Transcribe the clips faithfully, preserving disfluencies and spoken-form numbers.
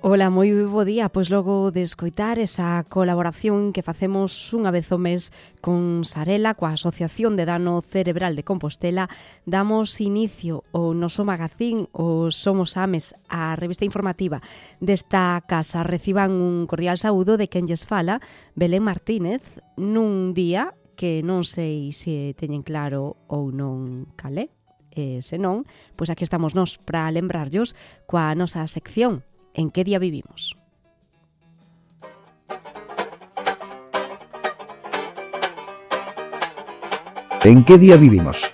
Ola, moi bo día. Pois logo de escoitar esa colaboración que facemos unha vez ao mes con Sarela, coa Asociación de Dano Cerebral de Compostela, damos inicio ao noso magazín, o Somos Ames, a revista informativa desta casa. Reciban un cordial saúdo de quen lles fala, Belén Martínez, nun día que non sei se teñen claro ou non calé. E se non, pois aquí estamos nós para lembrarllos coa nosa sección En que día vivimos? En que día vivimos?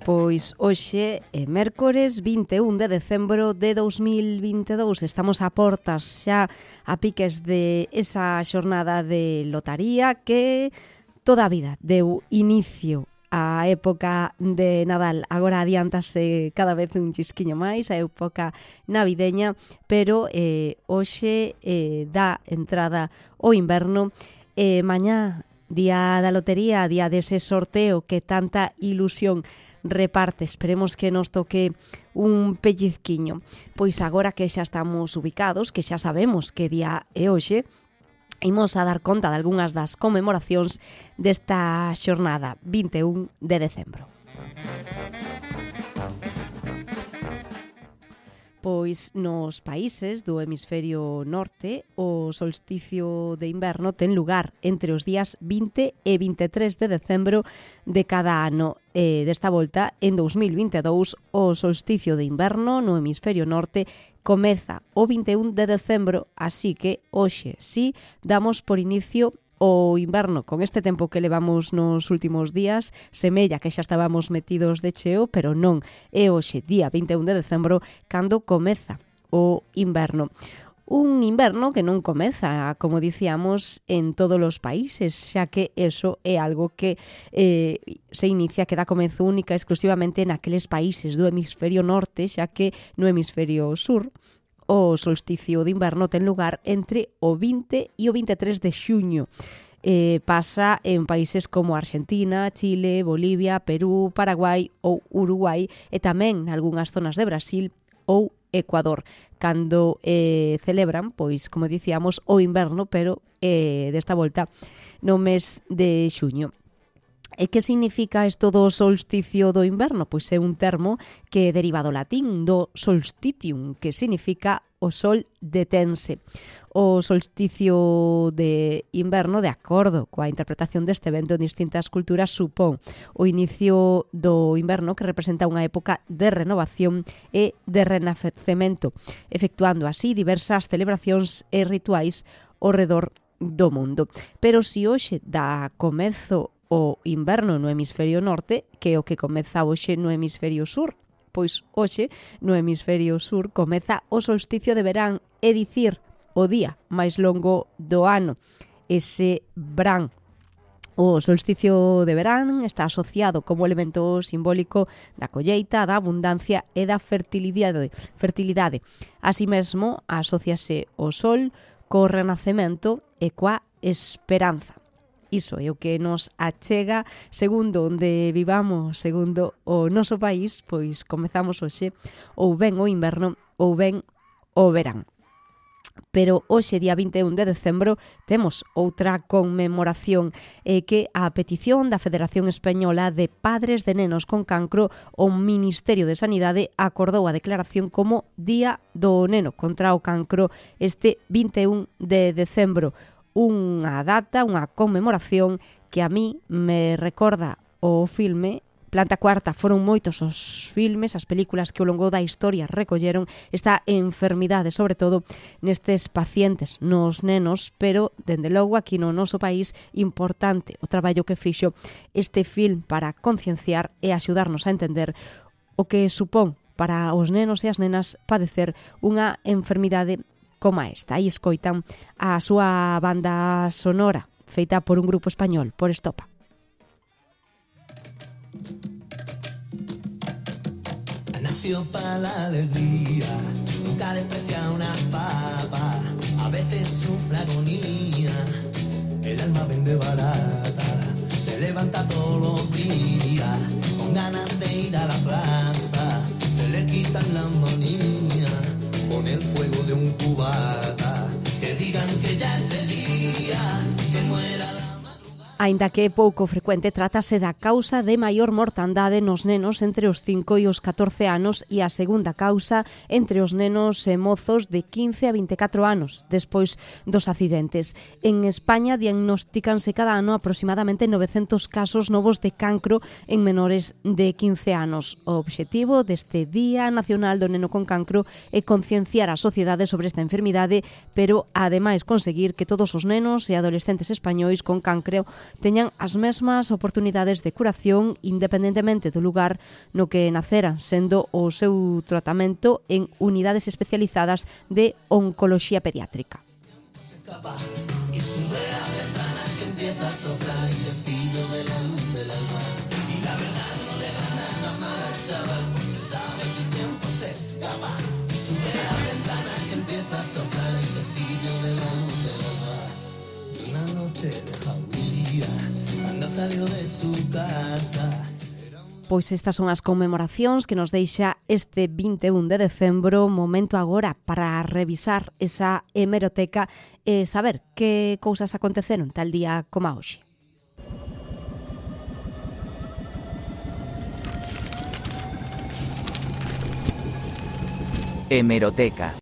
Pois hoxe é mércores vinte e un de decembro de dous mil vinte e dous. Estamos a portas xa a piques de esa xornada de lotaría que toda a vida deu inicio á época de Nadal. Agora adiántase cada vez un chisquiño máis a época navideña, pero eh, hoxe eh, dá entrada o inverno. E eh, mañá, día da lotería, día dese sorteo que tanta ilusión reparte. Esperemos que nos toque un pellizquiño. Pois agora que xa estamos ubicados, que xa sabemos que día é hoxe, imos a dar conta de algunhas das conmemoracións desta xornada vinte e un de decembro. Pois nos países do hemisferio norte o solsticio de inverno ten lugar entre os días vinte e vinte e tres de decembro de cada ano. E desta volta, en dous mil vinte e dous, o solsticio de inverno no hemisferio norte comeza o vinte e un de decembro, así que hoxe sí damos por inicio o inverno. Con este tempo que levamos nos últimos días, semella que xa estábamos metidos de cheo, pero non, é hoxe, día vinte e un de decembro, cando comeza o inverno. Un inverno que non comeza, como dicíamos, en todos os países, xa que eso é algo que eh, se inicia, que dá comenzo única exclusivamente naqueles países do hemisferio norte, xa que no hemisferio sur o solsticio de inverno ten lugar entre o vinte e o vinte e tres de xuño. Eh, pasa en países como Argentina, Chile, Bolivia, Perú, Paraguai ou Uruguai e tamén nalgúnas zonas de Brasil ou Ecuador, cando eh, celebran, pois, como dicíamos, o inverno, pero eh, desta volta no mes de xuño. E que significa isto do solsticio do inverno? Pois é un termo que deriva do latín, do solstitium, que significa o sol detense. O solsticio de inverno, de acordo coa interpretación deste evento en distintas culturas, supón o inicio do inverno, que representa unha época de renovación e de renacemento, efectuando así diversas celebracións e rituais ao redor do mundo. Pero se hoxe dá comezo o inverno no hemisferio norte, que é o que comeza hoxe no hemisferio sur, pois hoxe no hemisferio sur comeza o solsticio de verán, é dicir, o día máis longo do ano, ese verán. O solsticio de verán está asociado como elemento simbólico da colleita, da abundancia e da fertilidade. fertilidade. Así mesmo, asóciase o sol co renacemento e coa esperanza. Iso é o que nos achega, segundo onde vivamos, segundo o noso país, pois comezamos hoxe ou ben o inverno ou ben o verán. Pero hoxe, día vinte e un de decembro, temos outra conmemoración eh, que a petición da Federación Española de Padres de Nenos con Cancro, o Ministerio de Sanidade acordou a declaración como Día do Neno contra o Cancro este vinte e un de decembro. Unha data, unha conmemoración que a mí me recorda o filme Planta Cuarta. Foron moitos os filmes, as películas que ao longo da historia recolleron esta enfermidade, sobre todo nestes pacientes, nos nenos, pero, dende logo, aquí no noso país, importante o traballo que fixo este film para concienciar e axudarnos a entender o que supón para os nenos e as nenas padecer unha enfermidade como esta. Aí escoitan a súa banda sonora feita por un grupo español, por Estopa. Nació para la alegría, nunca desprecia una papa, a veces sufre agonía, el alma vende barata, se levanta todos los días. ganas de ir a la plaza, se le quitan la manía con el fuego de un cubata. Que digan que ya es de día, que muera la... Aínda que é pouco frecuente, trátase da causa de maior mortandade nos nenos entre os cinco e os catorce anos e a segunda causa entre os nenos e mozos de quince a vinte e catro anos, despois dos accidentes. En España diagnostícanse cada ano aproximadamente novecentos casos novos de cancro en menores de quince anos. O obxectivo deste Día Nacional do Neno con Cancro é concienciar a sociedade sobre esta enfermidade, pero ademais conseguir que todos os nenos e adolescentes españois con cancro teñan as mesmas oportunidades de curación independentemente do lugar no que naceran, sendo o seu tratamento en unidades especializadas de oncoloxía pediátrica. Pois estas son as conmemoracións que nos deixa este vinte e un de decembro, momento agora para revisar esa hemeroteca e saber que cousas aconteceron tal día como hoxe. Hemeroteca.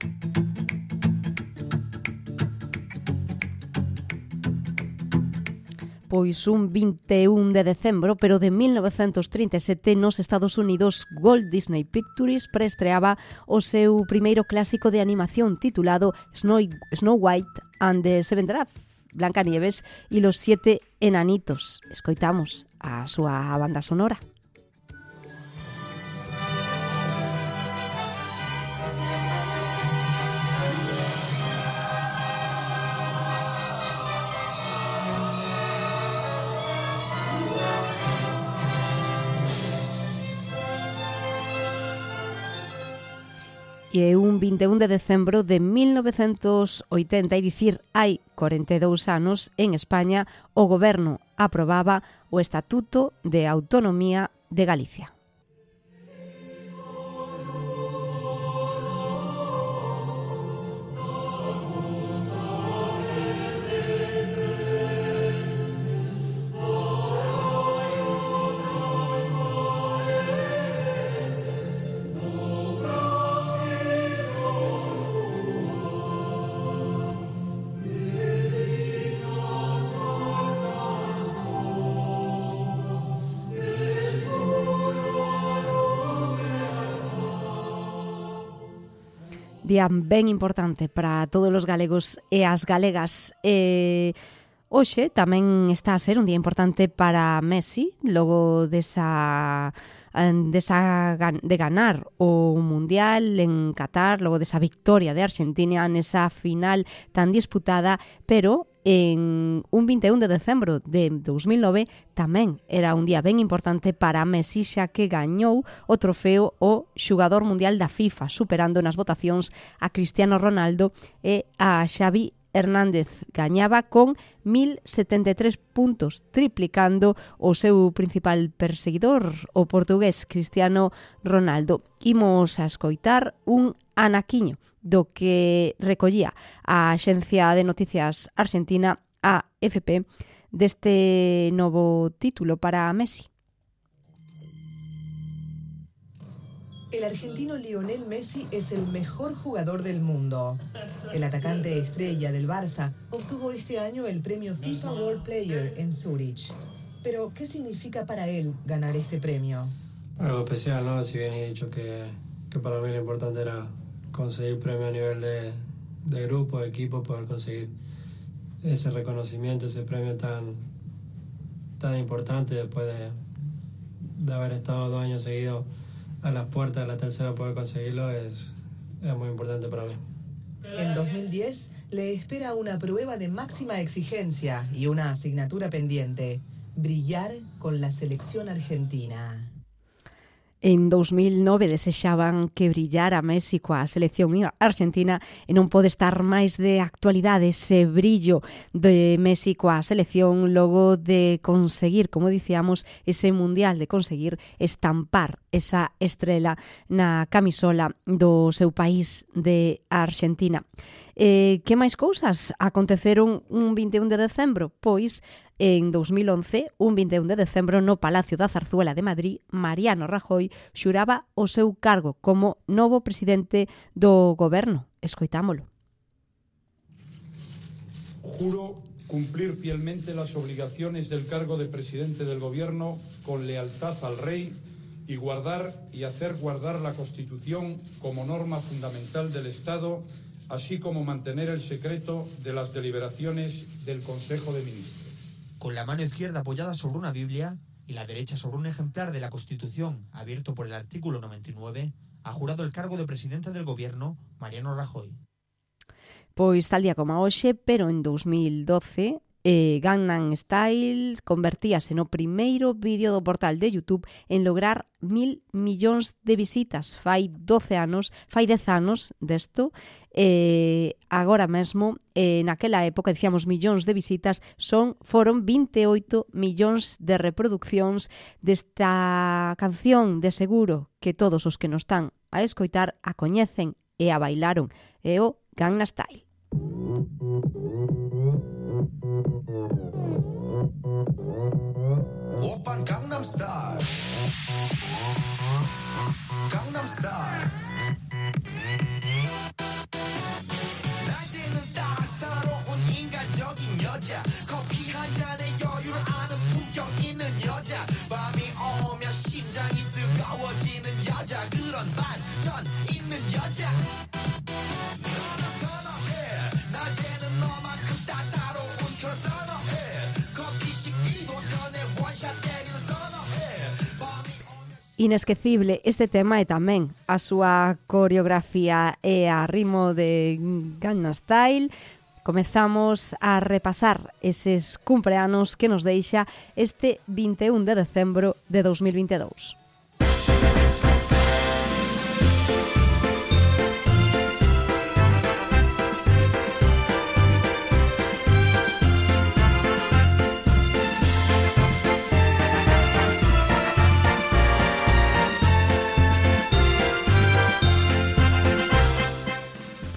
Pois un vinte e un de decembro, pero de mil novecentos trinta e sete, nos Estados Unidos, Walt Disney Pictures preestreaba o seu primeiro clásico de animación titulado Snow, Snow White and the Seven Dwarfs, Blancanieves y los siete enanitos. Escoitamos a súa banda sonora. E un vinte e un de decembro de mil novecentos oitenta, é dicir, hai corenta e dous anos, en España, o goberno aprobaba o Estatuto de Autonomía de Galicia. Día ben importante para todos os galegos e as galegas. E hoxe tamén está a ser un día importante para Messi, logo desa, desa de ganar o Mundial en Qatar, logo desa victoria de Argentina nesa final tan disputada, pero en un vinte e un de decembro de dos mil nove tamén era un día ben importante para Messi, xa que gañou o trofeo o xogador mundial da FIFA, superando nas votacións a Cristiano Ronaldo e a Xavi Hernández. Gañaba con mil setenta e tres puntos, triplicando o seu principal perseguidor, o portugués Cristiano Ronaldo. Imos a escoitar un anaquiño do que recollía a Axencia de Noticias Argentina, A F P, deste novo título para Messi. El argentino Lionel Messi es el mejor jugador del mundo. El atacante estrella del Barça obtuvo este año el premio FIFA World Player en Zurich. Pero, ¿qué significa para él ganar este premio? Algo especial, ¿no? Si bien he dicho que, que para mí lo importante era conseguir premio a nivel de, de grupo, de equipo, poder conseguir ese reconocimiento, ese premio tan, tan importante después de, de haber estado dos años seguidos a las puertas de la tercera, poder conseguirlo es, es muy importante para mí. En dos mil diez le espera una prueba de máxima exigencia y una asignatura pendiente: brillar con la selección argentina. En dos mil nove desexaban que brillara Messi coa selección argentina e non pode estar máis de actualidade ese brillo de Messi coa selección logo de conseguir, como dicíamos, ese mundial, de conseguir estampar esa estrela na camisola do seu país de Argentina. Eh, que máis cousas aconteceron un vinte e un de decembro? Pois en dos mil once, un vinte e un de decembro, no Palacio da Zarzuela de Madrid, Mariano Rajoy xuraba o seu cargo como novo presidente do goberno. Escoitámolo. Juro cumplir fielmente las obligaciones del cargo de presidente del gobierno con lealtad al rey y guardar y hacer guardar la Constitución como norma fundamental del Estado, así como mantener el secreto de las deliberaciones del Consejo de Ministros. Con la mano izquierda apoyada sobre una Biblia y la derecha sobre un ejemplar de la Constitución abierto por el artículo noventa y nueve, ha jurado el cargo de presidente del gobierno Mariano Rajoy. Pois tal día como hoxe, pero en dos mil doce, eh, Gangnam Style convertíase no primeiro vídeo do portal de YouTube en lograr mil millóns de visitas. Fai doce anos, fai dez anos desto, eh, agora mesmo, eh, naquela época, dicíamos millóns de visitas, son foron vinte e oito millóns de reproduccións desta canción. De seguro que todos os que nos están a escoitar a coñecen e a bailaron. É o Gangnam Style. Oppan Gangnam Style. Gangnam Style. 낮에는 따사로운 인간적인 여자, 커피 한 잔에 여유를 아는 품격 있는 여자, 밤이 오면 심장이 뜨거워지는 여자, 그런 반전 있는 여자. 너는 선호해. 낮에는 너만큼 따사로운 그런 선호해. 커피 식기도 전에 원샷 때리는 선호해. 밤이 오면 Inesquecible este tema e tamén a súa coreografía e a ritmo de Gangnam Style. Comezamos a repasar eses cumpleanos que nos deixa este vinte e un de decembro de dos mil vinte e dous.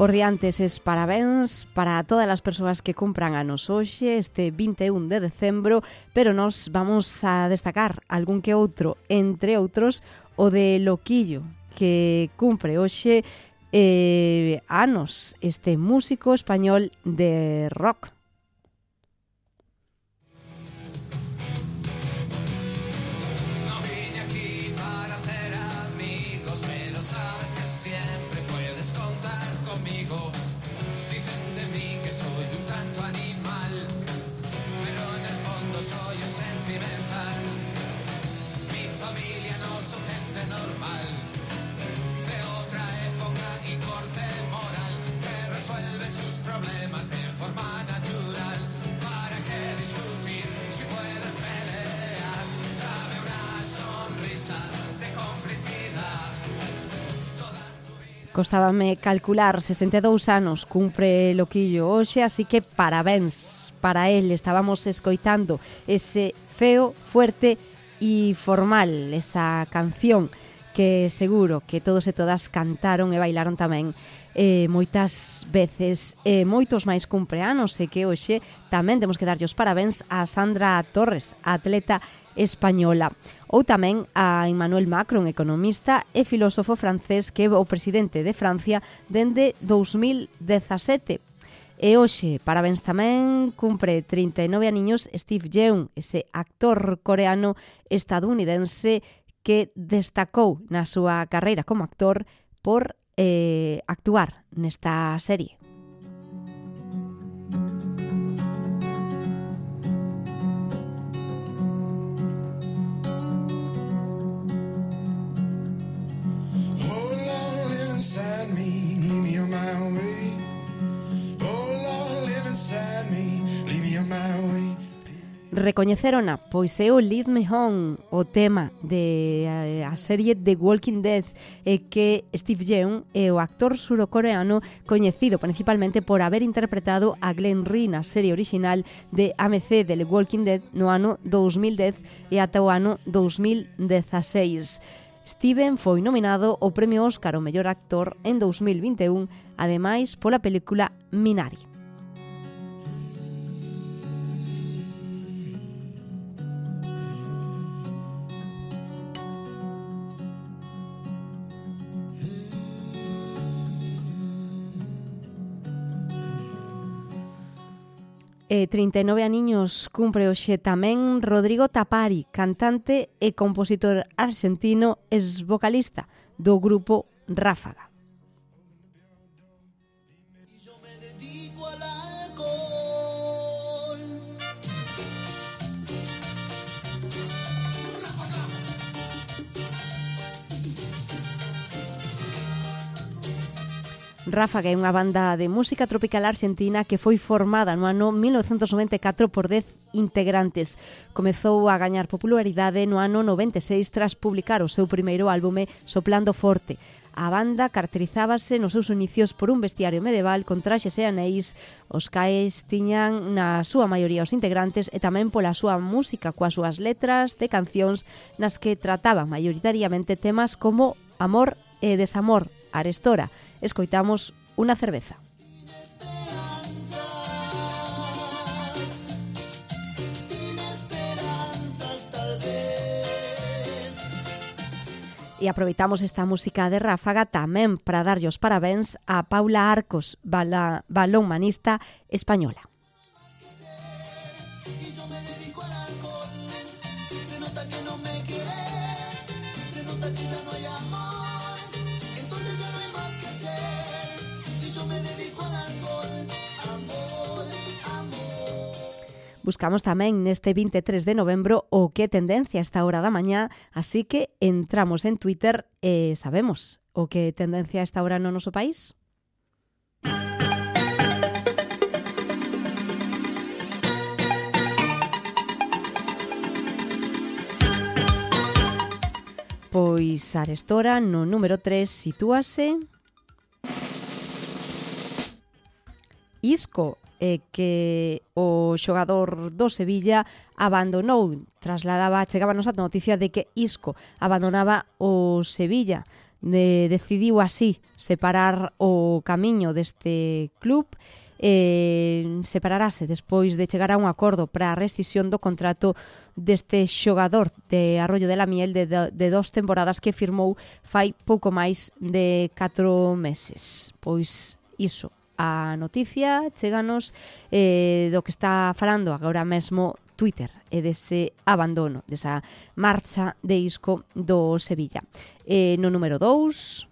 Por diante eses parabéns para todas as persoas que cumpran anos hoxe, este vinte e un de decembro, pero nos vamos a destacar algún que outro, entre outros o de Loquillo, que cumpre hoxe eh, anos, este músico español de rock. Costábame calcular, sesenta e dous anos cumpre Loquillo hoxe, así que parabéns para él. Estábamos escoitando ese Feo, Fuerte e Formal, esa canción que seguro que todos e todas cantaron e bailaron tamén eh, moitas veces. Eh, moitos máis cumpleanos e que hoxe tamén temos que darlle os parabéns a Sandra Torres, a atleta española, ou tamén a Emmanuel Macron, economista e filósofo francés que é o presidente de Francia dende dos mil dezasete. E hoxe, parabéns tamén, cumpre trinta e nove aniños Steve Yeun, ese actor coreano estadounidense que destacou na súa carreira como actor por eh, actuar nesta serie. Recoñecerona, pois é o Lead Me Home, o tema de a, a serie The Walking Dead, e que Steve Yeun é o actor surcoreano coñecido principalmente por haber interpretado a Glenn Rhee na serie original de A M C de The Walking Dead no ano dous mil dez e ata o ano dous mil dezaseis. Steven foi nominado ao Premio Óscar ao mellor actor en dous mil vinte e un, ademais pola película Minari. E trinta e nove aniños cumpre hoxe tamén Rodrigo Tapari, cantante e compositor argentino, ex vocalista do grupo Ráfaga. Ráfaga é unha banda de música tropical argentina que foi formada no ano mil novecentos noventa e catro por dez integrantes. Comezou a gañar popularidade no ano noventa e seis tras publicar o seu primeiro álbume Soplando Forte. A banda caracterizábase nos seus inicios por un vestiario medieval con traxes e anéis, os cais tiñan na súa maioría os integrantes e tamén pola súa música coas súas letras de cancións nas que trataban maioritariamente temas como amor e desamor. Arestora, escoitamos Unha cerveza. E aproveitamos esta música de Ráfaga tamén para darlle os parabéns a Paula Arcos, bala, balonmanista española. Buscamos tamén neste vinte e tres de novembro o que tendencia a esta hora da mañá, así que entramos en Twitter e sabemos o que tendencia a esta hora no noso país. Pois arestora no número tres sitúase Isco, e que o xogador do Sevilla abandonou, trasladaba, chegábanos a noticia de que Isco abandonaba o Sevilla, de, decidiu así separar o camiño deste club, e separarase despois de chegar a un acordo para a rescisión do contrato deste xogador de Arroyo de la Miel de, de, de dos temporadas que firmou fai pouco máis de catro meses. Pois iso, a noticia cheganos eh, do que está falando agora mesmo Twitter e dese abandono, desa marcha de Isco do Sevilla. Eh, no número dous,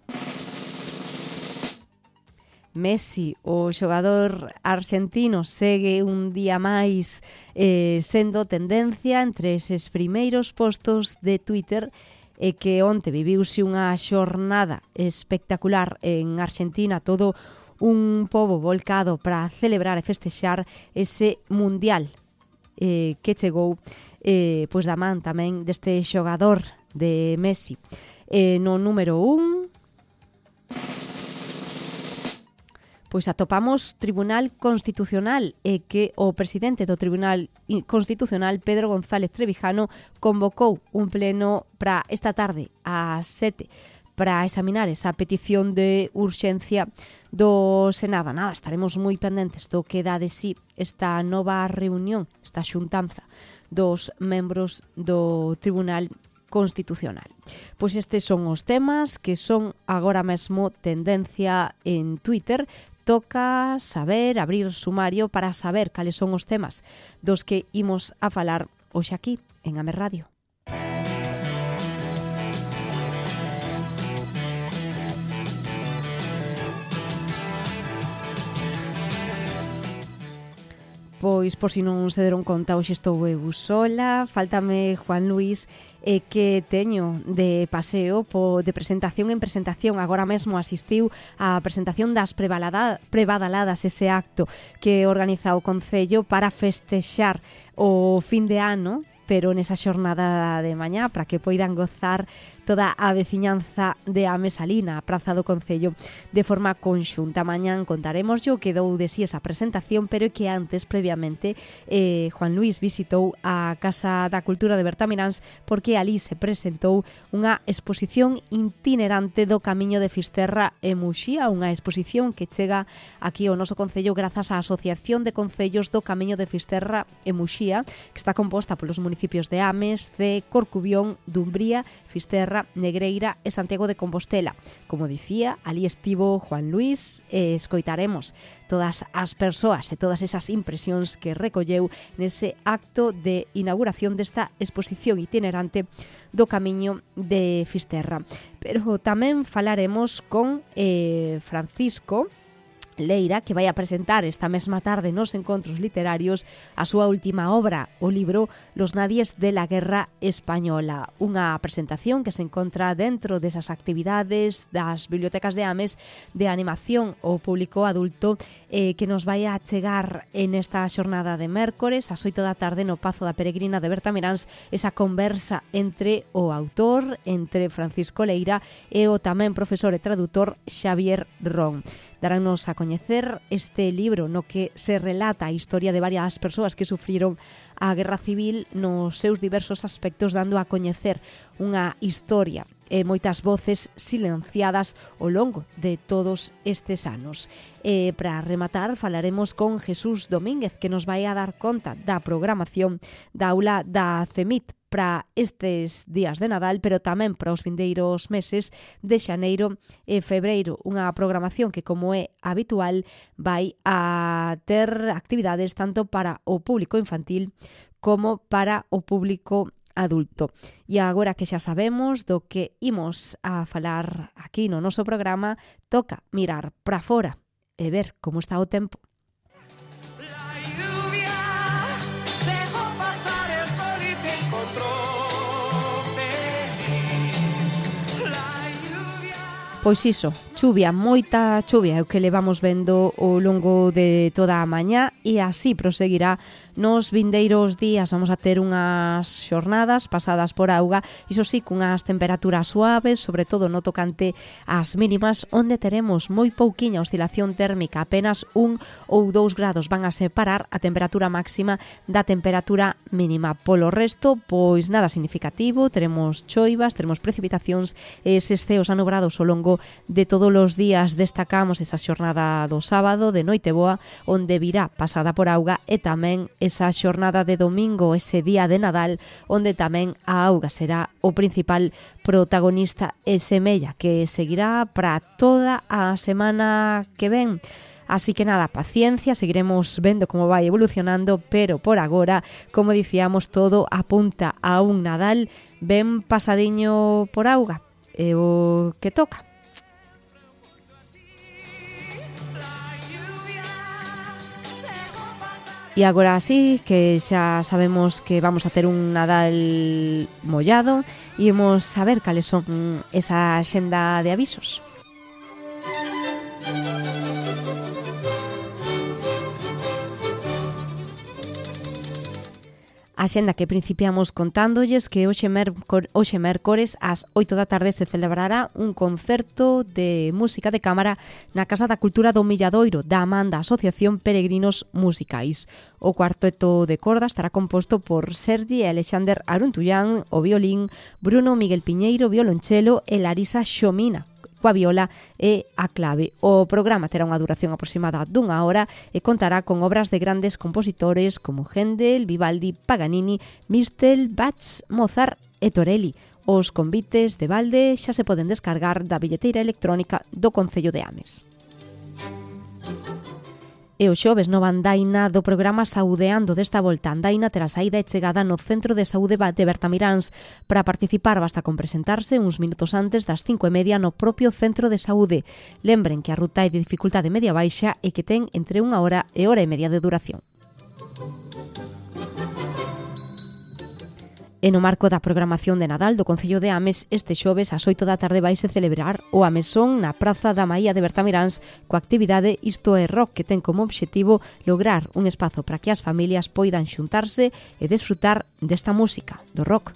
Messi, o xogador argentino, segue un día máis eh, sendo tendencia entre eses primeiros postos de Twitter e que onte viviuse unha xornada espectacular en Argentina, todo un pobo volcado para celebrar e festexar ese mundial eh, que chegou eh, pois da man tamén deste xogador de Messi. Eh, no número un, pois atopamos Tribunal Constitucional e que o presidente do Tribunal Constitucional, Pedro González Trevijano, convocou un pleno para esta tarde ás sete para examinar esa petición de urxencia do Senado. Nada, estaremos moi pendentes do que dá de sí esta nova reunión, esta xuntanza dos membros do Tribunal Constitucional. Pois estes son os temas que son agora mesmo tendencia en Twitter. Toca saber, abrir sumario para saber cales son os temas dos que imos a falar hoxe aquí en A M Radio. Pois, por si non se deron conta, hoxe estou eu sola, faltame Juan Luis, e que teño de paseo po, de presentación en presentación. Agora mesmo asistiu á presentación das prebadaladas, ese acto que organiza o Concello para festexar o fin de ano, pero nesa xornada de mañá para que poidan gozar toda a veciñanza de Ames Salina, a Praza do Concello, de forma conxunta. Mañán contaremos o que dou de si esa presentación, pero que antes, previamente, eh, Juan Luis visitou a Casa da Cultura de Bertamiráns porque ali se presentou unha exposición itinerante do Camiño de Fisterra e Muxía, unha exposición que chega aquí ao noso Concello grazas á Asociación de Concellos do Camiño de Fisterra e Muxía, que está composta polos municipios de Ames, de Corcubión, Dumbría, Fisterra, Negreira e Santiago de Compostela. Como dicía, ali estivo Juan Luis e escoitaremos todas as persoas e todas esas impresións que recolleu nese acto de inauguración desta exposición itinerante do Camiño de Fisterra. Pero tamén falaremos con eh, Francisco Leira, que vai a presentar esta mesma tarde nos encontros literarios a súa última obra, o libro Los nadies de la guerra española, unha presentación que se encontra dentro desas actividades das bibliotecas de Ames de animación ao público adulto eh, que nos vai a chegar en esta xornada de mércores ás oito da tarde no Pazo da Peregrina de Bertamiráns, esa conversa entre o autor, entre Francisco Leira e o tamén profesor e tradutor Xavier Ron. Darános a coñecer este libro no que se relata a historia de varias persoas que sufriron a Guerra Civil nos seus diversos aspectos, dando a coñecer unha historia e moitas voces silenciadas ao longo de todos estes anos. E para rematar falaremos con Jesús Domínguez, que nos vai a dar conta da programación da aula da CEMIT para estes días de Nadal, pero tamén para os vindeiros meses de xaneiro e febreiro, unha programación que, como é habitual, vai a ter actividades tanto para o público infantil como para o público adulto. E agora que xa sabemos do que imos a falar aquí no noso programa, toca mirar para fora e ver como está o tempo. Pois iso, chuvia, moita chuvia é o que levamos vendo ao longo de toda a mañá e así proseguirá nos vindeiros días. Vamos a ter unhas xornadas pasadas por auga, iso sí, cunhas temperaturas suaves, sobre todo no tocante ás mínimas, onde teremos moi pouquiña oscilación térmica, apenas un ou dous grados van a separar a temperatura máxima da temperatura mínima. Polo resto, pois nada significativo, teremos choivas, teremos precipitacións e eses ceos anubrados ao longo de todos os días. Destacamos esa xornada do sábado de Noiteboa, onde virá pasada por auga, e tamén esa xornada de domingo, ese día de Nadal, onde tamén a auga será o principal protagonista e semella que seguirá para toda a semana que ven. Así que nada, paciencia, seguiremos vendo como vai evolucionando, pero por agora, como dicíamos, todo apunta a un Nadal ben pasadiño por auga, é o que toca. E agora sí, que xa sabemos que vamos a ter un Nadal mollado, e imos saber cales son esa xenda de avisos. A xenda que principiamos contándolles que hoxe, mercor, hoxe mércores ás oito da tarde se celebrará un concerto de música de cámara na Casa da Cultura do Milladoiro da man da Asociación Peregrinos Musicais. O cuarteto de corda estará composto por Sergi e Alexander Aruntullán, o violín, Bruno Miguel Piñeiro, violonchelo e Larisa Xomina, coa viola e a clave. O programa terá unha duración aproximada dunha hora e contará con obras de grandes compositores como Händel, Vivaldi, Paganini, Mistel, Bach, Mozart e Torelli. Os convites de balde xa se poden descargar da billeteira electrónica do Concello de Ames. E o xoves nova andaina do programa Saudeando. Desta volta, andaina terá saída e chegada no Centro de Saúde de Bertamiráns. Para participar basta con presentarse uns minutos antes das cinco e media no propio Centro de Saúde. Lembren que a ruta é de dificultade media baixa e que ten entre unha hora e hora e media de duración. E no marco da programación de Nadal do Concello de Ames, este xoves ás oito da tarde vaise celebrar o Amesón na Praza da Maía de Bertamiráns coa actividade Isto é Rock, que ten como obxectivo lograr un espazo para que as familias poidan xuntarse e desfrutar desta música, do rock.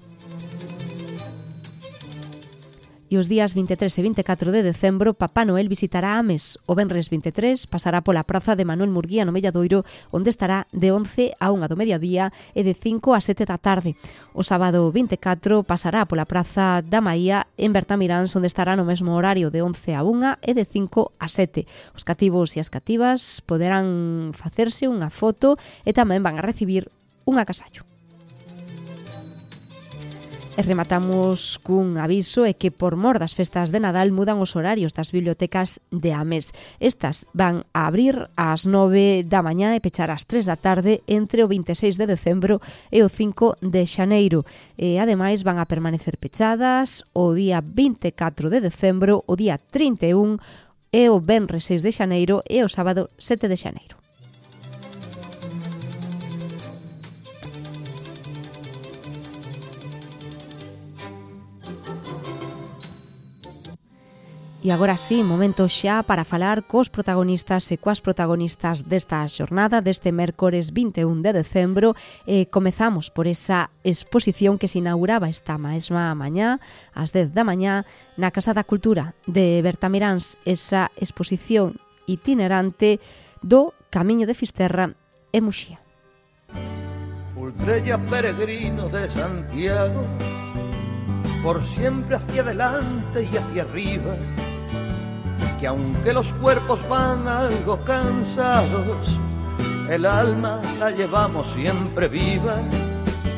E os días vinte e tres e vinte e catro de decembro, Papá Noel visitará Ames. O venres vinte e tres pasará pola praza de Manuel Murguía no Melladoiro, onde estará de once a unha do mediodía e de cinco a sete da tarde. O sábado vinte e catro pasará pola praza da Maía en Bertamiráns, onde estará no mesmo horario de once a unha e de cinco a sete. Os cativos e as cativas poderán facerse unha foto e tamén van a recibir un agasallo. E rematamos cun aviso e que por mor das festas de Nadal mudan os horarios das bibliotecas de Ames. Estas van a abrir ás nove da mañá e pechar ás tres da tarde entre o vinte e seis de decembro e o cinco de xaneiro. E ademais van a permanecer pechadas o día vinte e catro de decembro, o día trinta e un e o venres seis de xaneiro e o sábado sete de xaneiro. E agora sí, momento xa para falar cos protagonistas e coas protagonistas desta xornada, deste mércores vinte e un de decembro. E comezamos por esa exposición que se inauguraba esta mesma mañá, ás dez da mañá, na Casa da Cultura de Bertamiráns, esa exposición itinerante do Camiño de Fisterra e Muxía. Ultrella peregrino de Santiago, por siempre hacia adelante y hacia arriba, que aunque los cuerpos van algo cansados, el alma la llevamos siempre viva.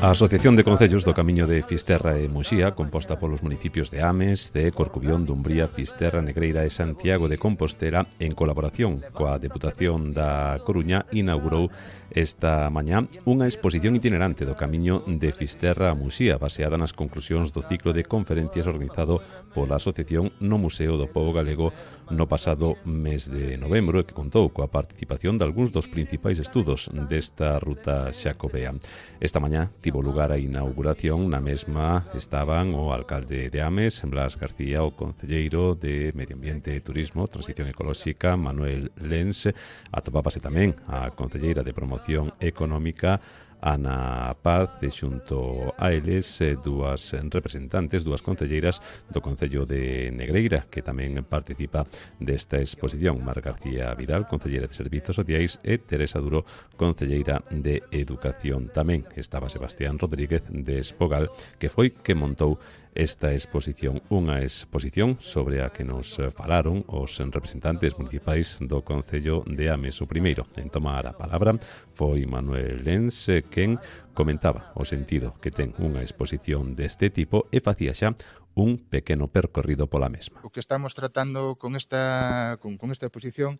A Asociación de Concellos do Camiño de Fisterra e Muxía, composta polos municipios de Ames, de Corcubión, Dumbría, Fisterra, Negreira e Santiago de Compostela, en colaboración coa Deputación da Coruña, inaugurou esta mañá unha exposición itinerante do Camiño de Fisterra a Muxía, baseada nas conclusións do ciclo de conferencias organizado pola Asociación no Museo do Pobo Galego no pasado mes de novembro, e que contou coa participación de algúns dos principais estudos desta ruta xacobea. Esta mañá tivo lugar a inauguración, na mesma estaban o alcalde de Ames, Blas García, o concelleiro de Medio Ambiente e Turismo, Transición Ecolóxica, Manuel Lens, atopábase tamén a concelleira de Promoción Económica, Ana Paz, e xunto a eles dúas representantes, dúas concelleiras do Concello de Negreira, que tamén participa desta exposición, Mar García Vidal, concelleira de Servizos Sociais, e Teresa Duro, concelleira de Educación. Tamén estaba Sebastián Rodríguez de Espogal, que foi que montou esta exposición, unha exposición sobre a que nos falaron os representantes municipais do Concello de Ames. O primeiro en tomar a palabra foi Manuel Lens, quen comentaba o sentido que ten unha exposición deste tipo e facía xa un pequeno percorrido pola mesma. O que estamos tratando con esta, con, con esta exposición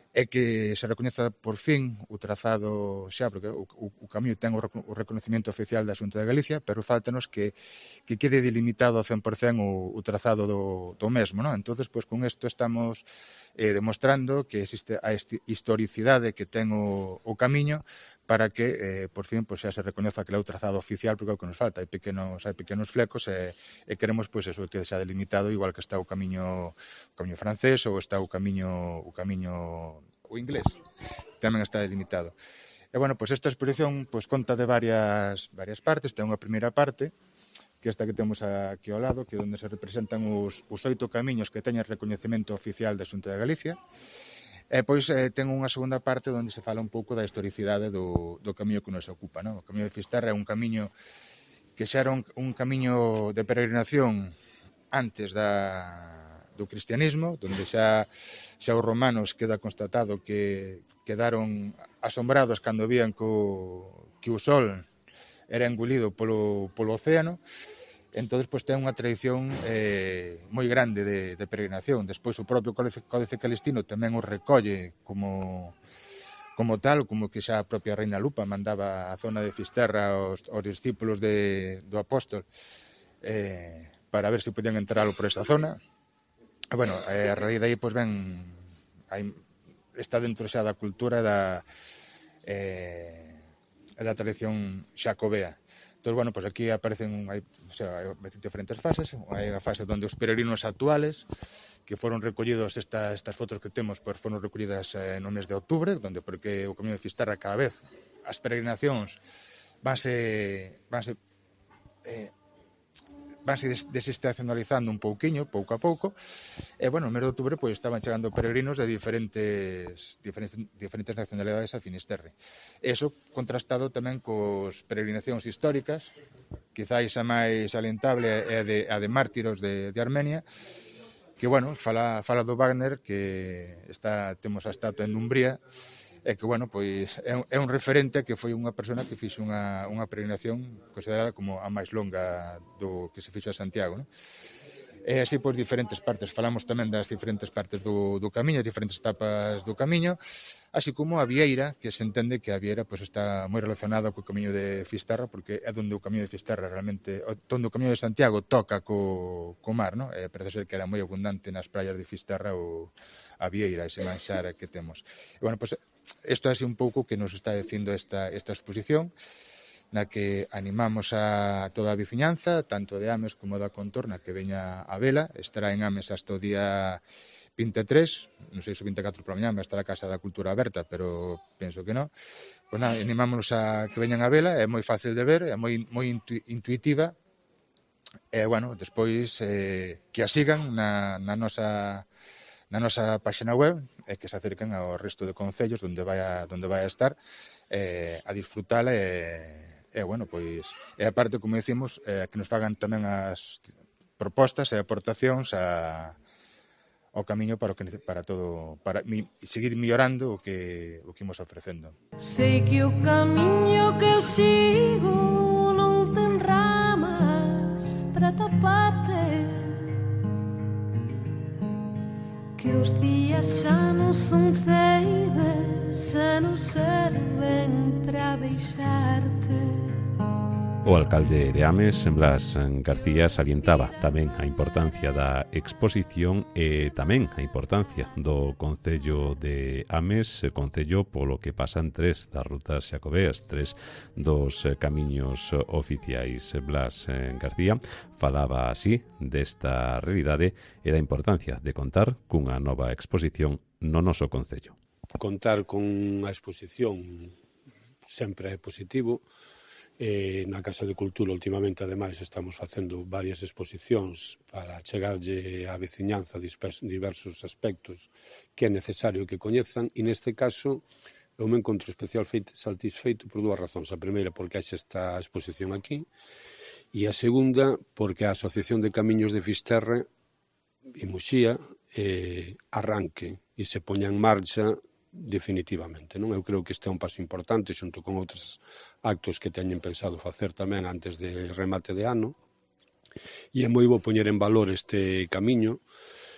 é que se recoñeza por fin o trazado xa, porque o, o, o camiño ten o, o reconocimiento oficial da Xunta de Galicia, pero faltanos que, que quede delimitado ao cen por cen o, o trazado do, do mesmo, non? Entonces, pois, con isto estamos eh, demostrando que existe a historicidade que ten o, o camiño para que, eh, por fin, pois, xa se recoñeza que é o trazado oficial, porque é o que nos falta. Hai pequenos, hai pequenos flecos e, e queremos, pois, eso, que xa delimitado, igual que está o camiño, o camiño francés ou está o camiño, o camiño o inglés, tamén está delimitado. E, bueno, pois esta exposición pois, conta de varias, varias partes. Ten unha primeira parte, que esta que temos aquí ao lado, que é onde se representan os, os oito camiños que teñen recoñecemento oficial da Xunta de Galicia. E, pois, eh, ten unha segunda parte onde se fala un pouco da historicidade do, do camiño que nos ocupa, non? O Camiño de Fisterra é un camiño que xa era un, un camiño de peregrinación antes da do cristianismo, donde xa, xa os romanos queda constatado que quedaron asombrados cando vían que o, que o sol era engolido polo, polo océano. Entón, pois, ten unha tradición eh, moi grande de, de peregrinación. Despois, o propio Códice, Códice Calistino tamén o recolle como, como tal, como que xa a propia Reina Lupa mandaba a zona de Fisterra aos, aos discípulos de, do apóstol eh, para ver se podían entrar por esta zona. Bueno, a raíz de aí, pois, ben, hai, está dentro xa da cultura da, eh, da tradición xacobea. Entón, bueno, pues aquí aparecen hai, o sea, hai diferentes fases. Hai a fase onde os peregrinos actuales, que foron recollidos, esta, estas fotos que temos, pues foron recollidas eh, no mes de outubro, donde porque o Camiño de Fisterra cada vez as peregrinacións vanse, vanse eh, vanse desestacionalizando un pouquiño, pouco a pouco, e, bueno, no mes de outubro pois, estaban chegando peregrinos de diferentes, diferentes, diferentes nacionalidades a Finisterre. Eso contrastado tamén cos peregrinacións históricas, quizáis a máis salientable é a de, a de Mártiros de, de Armenia, que, bueno, fala, fala do Wagner, que está, temos a estatua en Dumbría, e que, bueno, pois é un, é un referente que foi unha persona que fixo unha, unha peregrinación considerada como a máis longa do que se fixo a Santiago, non? E así, pois, diferentes partes. Falamos tamén das diferentes partes do, do camiño, diferentes etapas do camiño, así como a vieira, que se entende que a vieira pois, está moi relacionada co camiño de Fisterra, porque é onde o camiño de Fisterra realmente, onde o camiño de Santiago toca co, co mar, non? E parece ser que era moi abundante nas praias de Fisterra o, a vieira, ese manxar que temos. E, bueno, pois, isto é así un pouco que nos está dicindo esta, esta exposición, na que animamos a toda a veciñanza, tanto de Ames como da contorna, que veña a vela. Estará en Ames hasta o día vinte e tres, non sei se o vinte e catro por a mañá, estará a Casa da Cultura aberta, pero penso que non. Pois nada, animámonos a que veñan a vela, é moi fácil de ver, é moi, moi intu, intuitiva, e, bueno, despois eh, que a sigan na, na nosa na nosa página web e que se acerquen ao resto de concellos onde vai a, onde vai a estar eh, a disfrutala e E, bueno, pois, e aparte, como decimos, eh, que nos fagan tamén as propostas e aportacións a, ao camiño para o que para todo, para mi, seguir mellorando o que o que imos ofrecendo. Sei que o camiño que eu sigo non ten ramas para taparte, que os días xa non son ceibes e non serven para deixarte. O alcalde de Ames, Blas García, salientaba tamén a importancia da exposición e tamén a importancia do Concello de Ames, concello polo que pasan tres das rutas xacobeas, tres dos camiños oficiais. Blas García falaba así desta realidade e da importancia de contar cunha nova exposición no noso concello. Contar con unha exposición sempre é positivo. Eh, na Casa de Cultura, últimamente, ademais, estamos facendo varias exposicións para chegarlle á veciñanza diversos aspectos que é necesario que coñezan, e neste caso eu me encontro especial satisfeito por dúas razóns. A primeira, porque hai esta exposición aquí, e a segunda, porque a Asociación de Camiños de Fisterra e Muxía eh, arranque e se poña en marcha definitivamente, non? Eu creo que este é un paso importante xunto con outros actos que teñen pensado facer tamén antes de remate de ano, e é moi bo poñer en valor este camiño,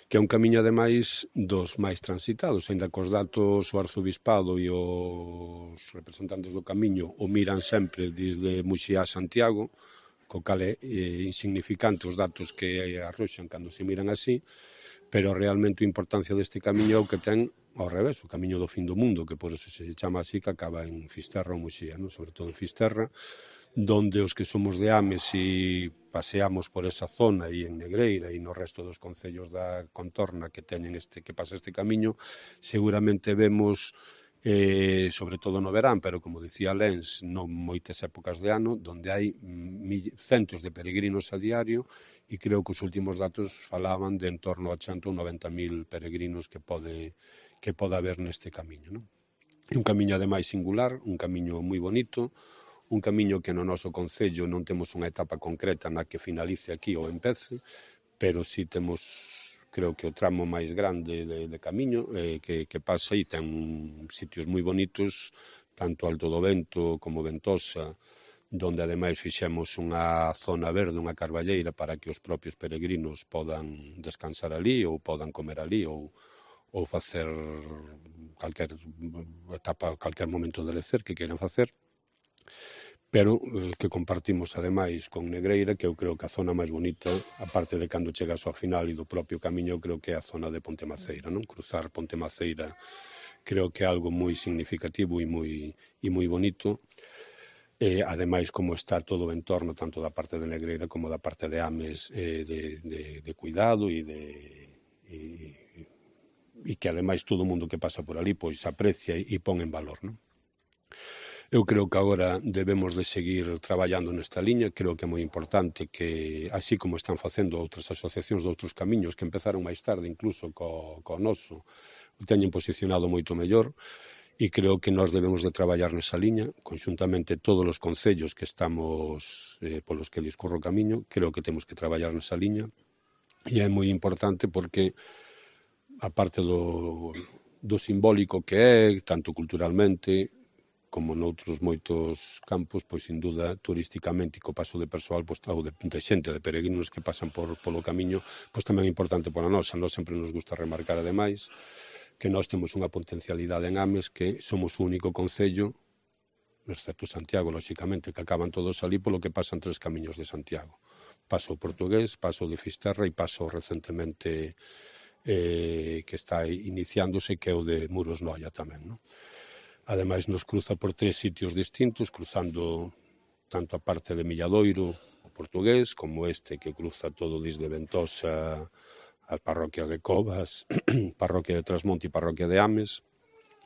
que é un camiño ademais dos máis transitados, aínda que os datos o arzobispado e os representantes do camiño o miran sempre desde Muxía a Santiago, co cal é eh, insignificante os datos que arroxan cando se miran así, pero realmente a importancia deste camiño é o que ten ao revés, o camiño do fin do mundo, que por eso se chama así, que acaba en Fisterra ou Muxía, non? Sobre todo en Fisterra, donde os que somos de Ames e paseamos por esa zona e en Negreira e no resto dos concellos da contorna que teñen este que pasa este camiño, seguramente vemos eh, sobre todo no verán, pero como dicía Lens, non moitas épocas de ano, donde hai mil, centos de peregrinos a diario, e creo que os últimos datos falaban de en torno a ochenta ou noventa mil peregrinos que pode que pode haber neste camiño, non? É un camiño ademais singular, un camiño moi bonito, un camiño que no noso concello non temos unha etapa concreta na que finalice aquí ou empece, pero si temos, creo que o tramo máis grande de, de camiño eh, que, que pasa e ten sitios moi bonitos, tanto Alto do Vento como Ventosa, donde ademais fixemos unha zona verde, unha carballeira para que os propios peregrinos podan descansar ali ou podan comer ali ou ou facer calquer etapa, calquer momento de lecer que queiran facer, pero eh, que compartimos ademais con Negreira, que eu creo que a zona máis bonita, aparte de cando chegas ao final e do propio camiño, creo que é a zona de Ponte Maceira, non? Cruzar Ponte Maceira creo que é algo moi significativo e moi, e moi bonito. E, ademais, como está todo o entorno, tanto da parte de Negreira como da parte de Ames, eh, de, de, de cuidado e de... E, e que, ademais, todo o mundo que pasa por ali pois aprecia e, e pon en valor, non? Eu creo que agora debemos de seguir traballando nesta liña, creo que é moi importante que, así como están facendo outras asociacións de outros camiños que empezaron máis tarde, incluso co, co noso, o teñen posicionado moito mellor, e creo que nós debemos de traballar nesa liña, conxuntamente todos os concellos que estamos, eh, polos que discurro o camiño, creo que temos que traballar nesa liña, e é moi importante porque, aparte do, do simbólico que é, tanto culturalmente, como noutros moitos campos, pois, sin duda, turísticamente e co paso de persoal, pois, ou de, de xente, de peregrinos que pasan por, polo camiño, pois tamén é importante para nós. A nós sempre nos gusta remarcar, ademais, que nós temos unha potencialidade en Ames que somos o único concello, excepto Santiago, lóxicamente, que acaban todos ali polo que pasan tres camiños de Santiago. Paso o portugués, paso o de Fisterra e paso recentemente eh, que está iniciándose, que é o de Muros Noia tamén, non? Ademais, nos cruza por tres sitios distintos, cruzando tanto a parte de Milladoiro, o portugués, como este que cruza todo desde Ventosa a parroquia de Covas, parroquia de Trasmonte e parroquia de Ames,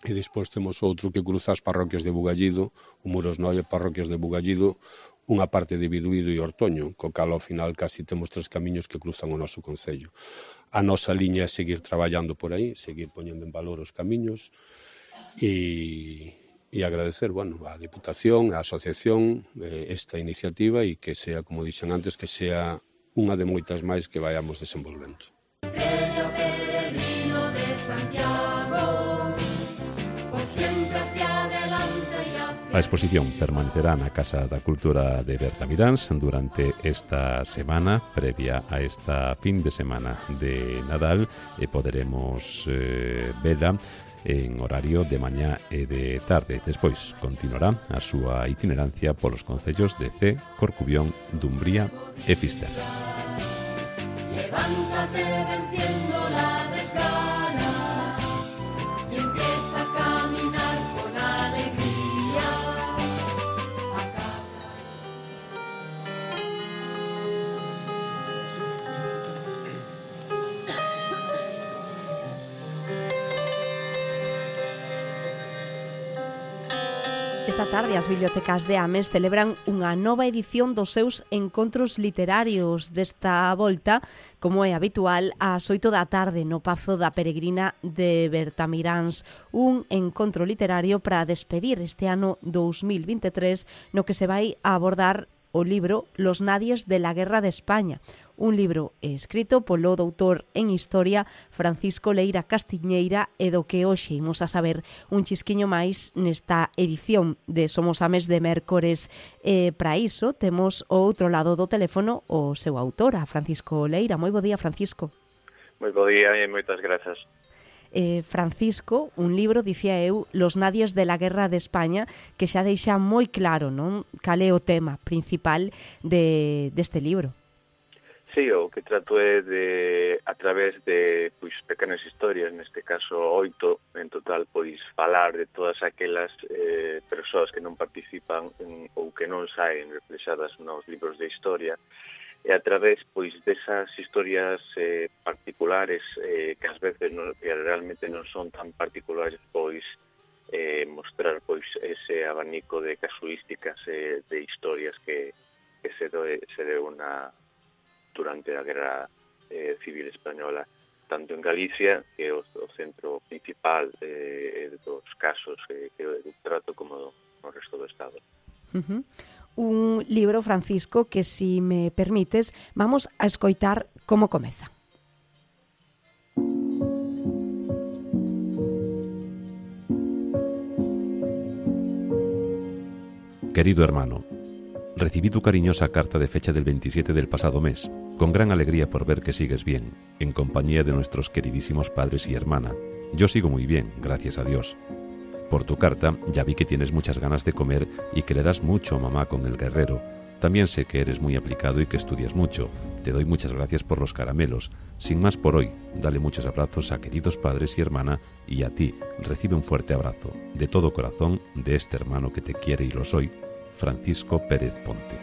e despois temos outro que cruza as parroquias de Bugallido, o Muros Noia, parroquias de Bugallido, unha parte de Biduído e Ortoño, co cal ao final casi temos tres camiños que cruzan o noso concello. A nosa liña é seguir traballando por aí, seguir poñendo en valor os camiños e, e agradecer, bueno, á Diputación, á Asociación, eh, esta iniciativa e que sea, como dixen antes, que sea unha de moitas máis que vayamos desenvolvendo. A exposición permanecerá na Casa da Cultura de Bertamiráns durante esta semana, previa a esta fin de semana de Nadal, e poderemos eh, vela en horario de mañá e de tarde. Despois continuará a súa itinerancia polos concellos de Cee, Corcubión, Dumbría e Fisterra. Levántate venciendo la desgana y empieza a caminar con alegría. Esta tarde as bibliotecas de Ames celebran unha nova edición dos seus encontros literarios. Desta volta, como é habitual, ás oito da tarde no Pazo da Peregrina de Bertamiráns, un encontro literario para despedir este ano dous mil vinte e tres, no que se vai a abordar o libro Los Nadies de la Guerra de España, un libro escrito polo doutor en Historia Francisco Leira Castiñeira e do que hoxe imos a saber un chisquiño máis nesta edición de Somos Ames de Mércores. E para iso temos o outro lado do teléfono o seu autor, a Francisco Leira. Moi bo día, Francisco. Moi bo día e moitas grazas. Eh, Francisco, un libro, dicía eu, Los Nadies de la Guerra de España, que xa deixa moi claro, non, cal é o tema principal de, deste libro. Sí, o que trato é de, a través de pois, pequenas historias, neste caso oito en total, pois falar de todas aquelas eh, persoas que non participan en, ou que non saen reflexadas nos libros de historia, e a través pois desas historias eh, particulares eh, que ás veces non, que realmente non son tan particulares, pois eh, mostrar pois ese abanico de casuísticas eh, de historias que, que se, doe, se deu na, durante a Guerra eh, Civil Española, tanto en Galicia, que é o, o centro principal eh, dos casos eh, que eu trato, como no resto do Estado. Uh-huh. Un libro, Francisco, que, si me permites, vamos a escoitar como comeza. Querido hermano, recibí tu cariñosa carta de fecha del veintisiete del pasado mes, con gran alegría por ver que sigues bien, en compañía de nuestros queridísimos padres y hermana. Yo sigo muy bien, gracias a Dios. Por tu carta ya vi que tienes muchas ganas de comer y que le das mucho a mamá con el guerrero. También sé que eres muy aplicado y que estudias mucho. Te doy muchas gracias por los caramelos. Sin más por hoy, dale muchos abrazos a queridos padres y hermana, y a ti recibe un fuerte abrazo, de todo corazón, de este hermano que te quiere y lo soy, Francisco Pérez Ponte.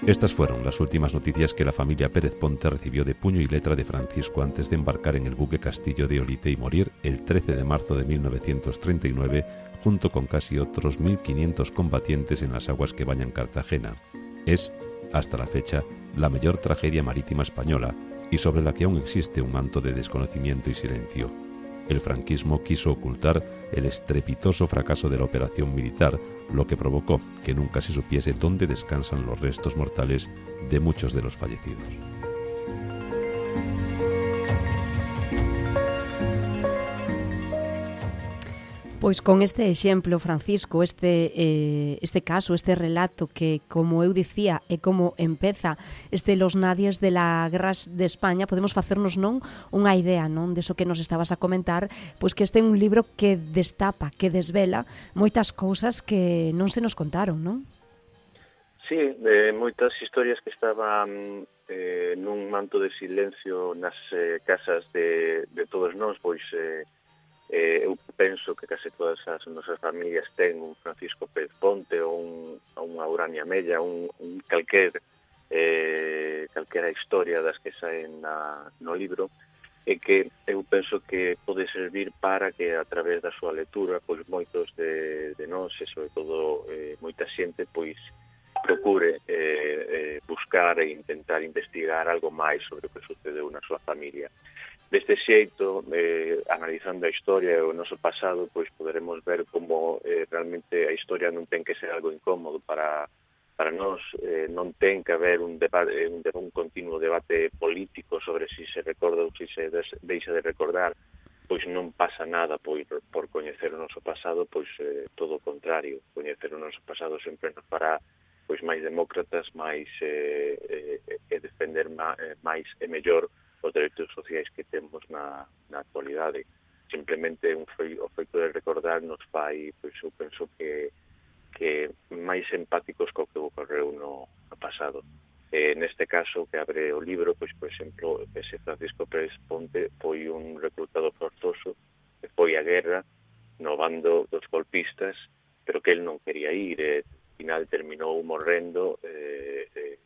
Estas fueron las últimas noticias que la familia Pérez Ponte recibió de puño y letra de Francisco antes de embarcar en el buque Castillo de Olite y morir el trece de marzo de mil novecientos treinta y nueve junto con casi otros mil quinientos combatientes en las aguas que bañan Cartagena. Es, hasta la fecha, la mayor tragedia marítima española y sobre la que aún existe un manto de desconocimiento y silencio. El franquismo quiso ocultar el estrepitoso fracaso de la operación militar, lo que provocó que nunca se supiese dónde descansan los restos mortales de muchos de los fallecidos. Pois con este exemplo, Francisco, este, eh, este caso, este relato que, como eu dicía, é como empeza este Los Nadies de la Guerra de España, podemos facernos non unha idea non deso que nos estabas a comentar, pois que este é un libro que destapa, que desvela moitas cousas que non se nos contaron, non? Sí, de moitas historias que estaban eh, nun manto de silencio nas eh, casas de, de todos nós, pois eh, Eh, eu penso que case todas as nosas familias ten un Francisco Pérez Ponte ou un, unha Urania Mella, un, un calquer eh, calquera historia das que saen na, no libro, e que eu penso que pode servir para que a través da súa lectura pois moitos de, de nós e sobre todo eh, moita xente pois procure eh, eh, buscar e intentar investigar algo máis sobre o que sucedeu na súa familia. Deste xeito, eh, analizando a historia e o noso pasado, pois poderemos ver como eh, realmente a historia non ten que ser algo incómodo para, para nós, eh, non ten que haber un, debate, un, un continuo debate político sobre si se recorda ou si se des, deixa de recordar, pois non pasa nada pois, por coñecer o noso pasado, pois eh, todo o contrario, coñecer o noso pasado sempre nos fará pois máis demócratas, máis eh, eh, e defender má, eh, máis e mellor os dereitos sociais que temos na, na actualidade. Simplemente un fei, o feito de recordar nos fai, pois eu penso que, que máis empáticos co que ocorreu no, no pasado. Eh, neste caso, que abre o libro, pois, por exemplo, ese Francisco Pérez Ponte foi un reclutado forzoso, que foi a guerra no bando dos golpistas, pero que el non quería ir, e ao final terminou morrendo eh, eh,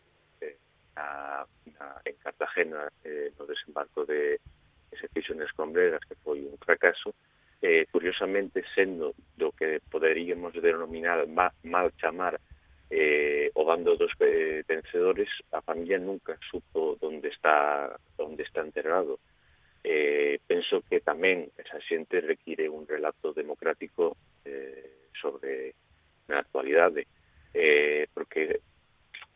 Na, na, en Cartagena eh, no desembarco de ese fixo nas Escombreras, que foi un fracaso, eh, curiosamente sendo do que poderíamos denominar ma, mal chamar eh, o bando dos eh, vencedores, a familia nunca supo onde está onde está enterrado. Eh, penso que tamén esa xente require un relato democrático eh, sobre na actualidade, eh, porque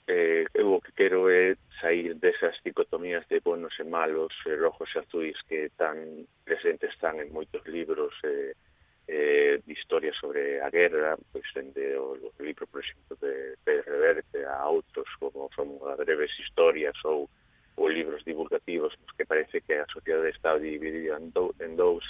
Eh, eu o que quero é sair desas dicotomías de buenos e malos, eh, rojos e azuis que tan presentes están en moitos libros eh, eh, de historia sobre a guerra, pois dende o, o libro, por exemplo, de Pérez Reverte a outros como son as breves historias ou, ou libros divulgativos nos que parece que a sociedade está dividida en, do, en dous,